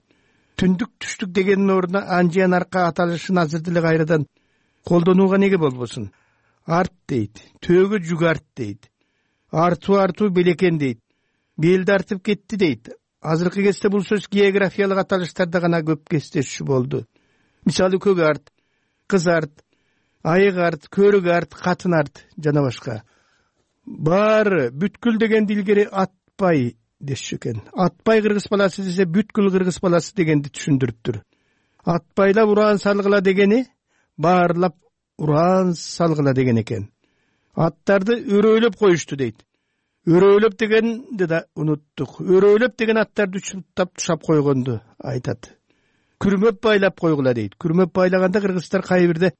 Түндүк түштүк дегенин ордуна Анжиян Арка аталышын азыр деле кайрадан колдонууга неге болбосун? Арт дейт, төөгө жүк арт дейт. Артуу белекен дейт. Белди артып кетти дейт. Азыркы кезде бул сөз географиялык аталыштарда гана көп кездешүү болду. Мисалы көк арт, кыз арт, айык арт, көрүк арт, катын арт жана башка. Баары бүткүл дегенди илгери атпай дешчү экен. Атпай кыргыз баласы десе бүткүл кыргыз баласы дегенди түшүндүрүптүр. Атпайлап уран салгыла дегени баарлап уран салгыла деген экен. Аттарды өрөөлөп коюшту дейт. Өрөөлөп дегенди да унуттук. Өрөөлөп деген аттарды учуптап тушап койгонду айтат. Күрмөп байлап койгула дейт. Күрмөп байлаганда кыргыздар кайбирде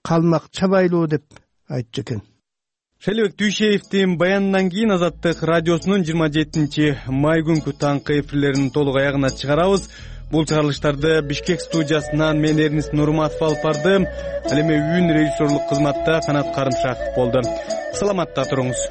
калмакча байлоо деп айтчу экен. Шайлебек Түйшеевдин баянынан кийин Азаттык радиосунун 27 май күнкү таңкы эфирлерин толук аягына чыгарабыз. Бул чыгарылыштарды Бишкек студиясынан мен Эрнис Нурматов алып бардым. Ал эми үн режиссерлук кызматта Канат Карымшаков болду. Саламатта туруңуз.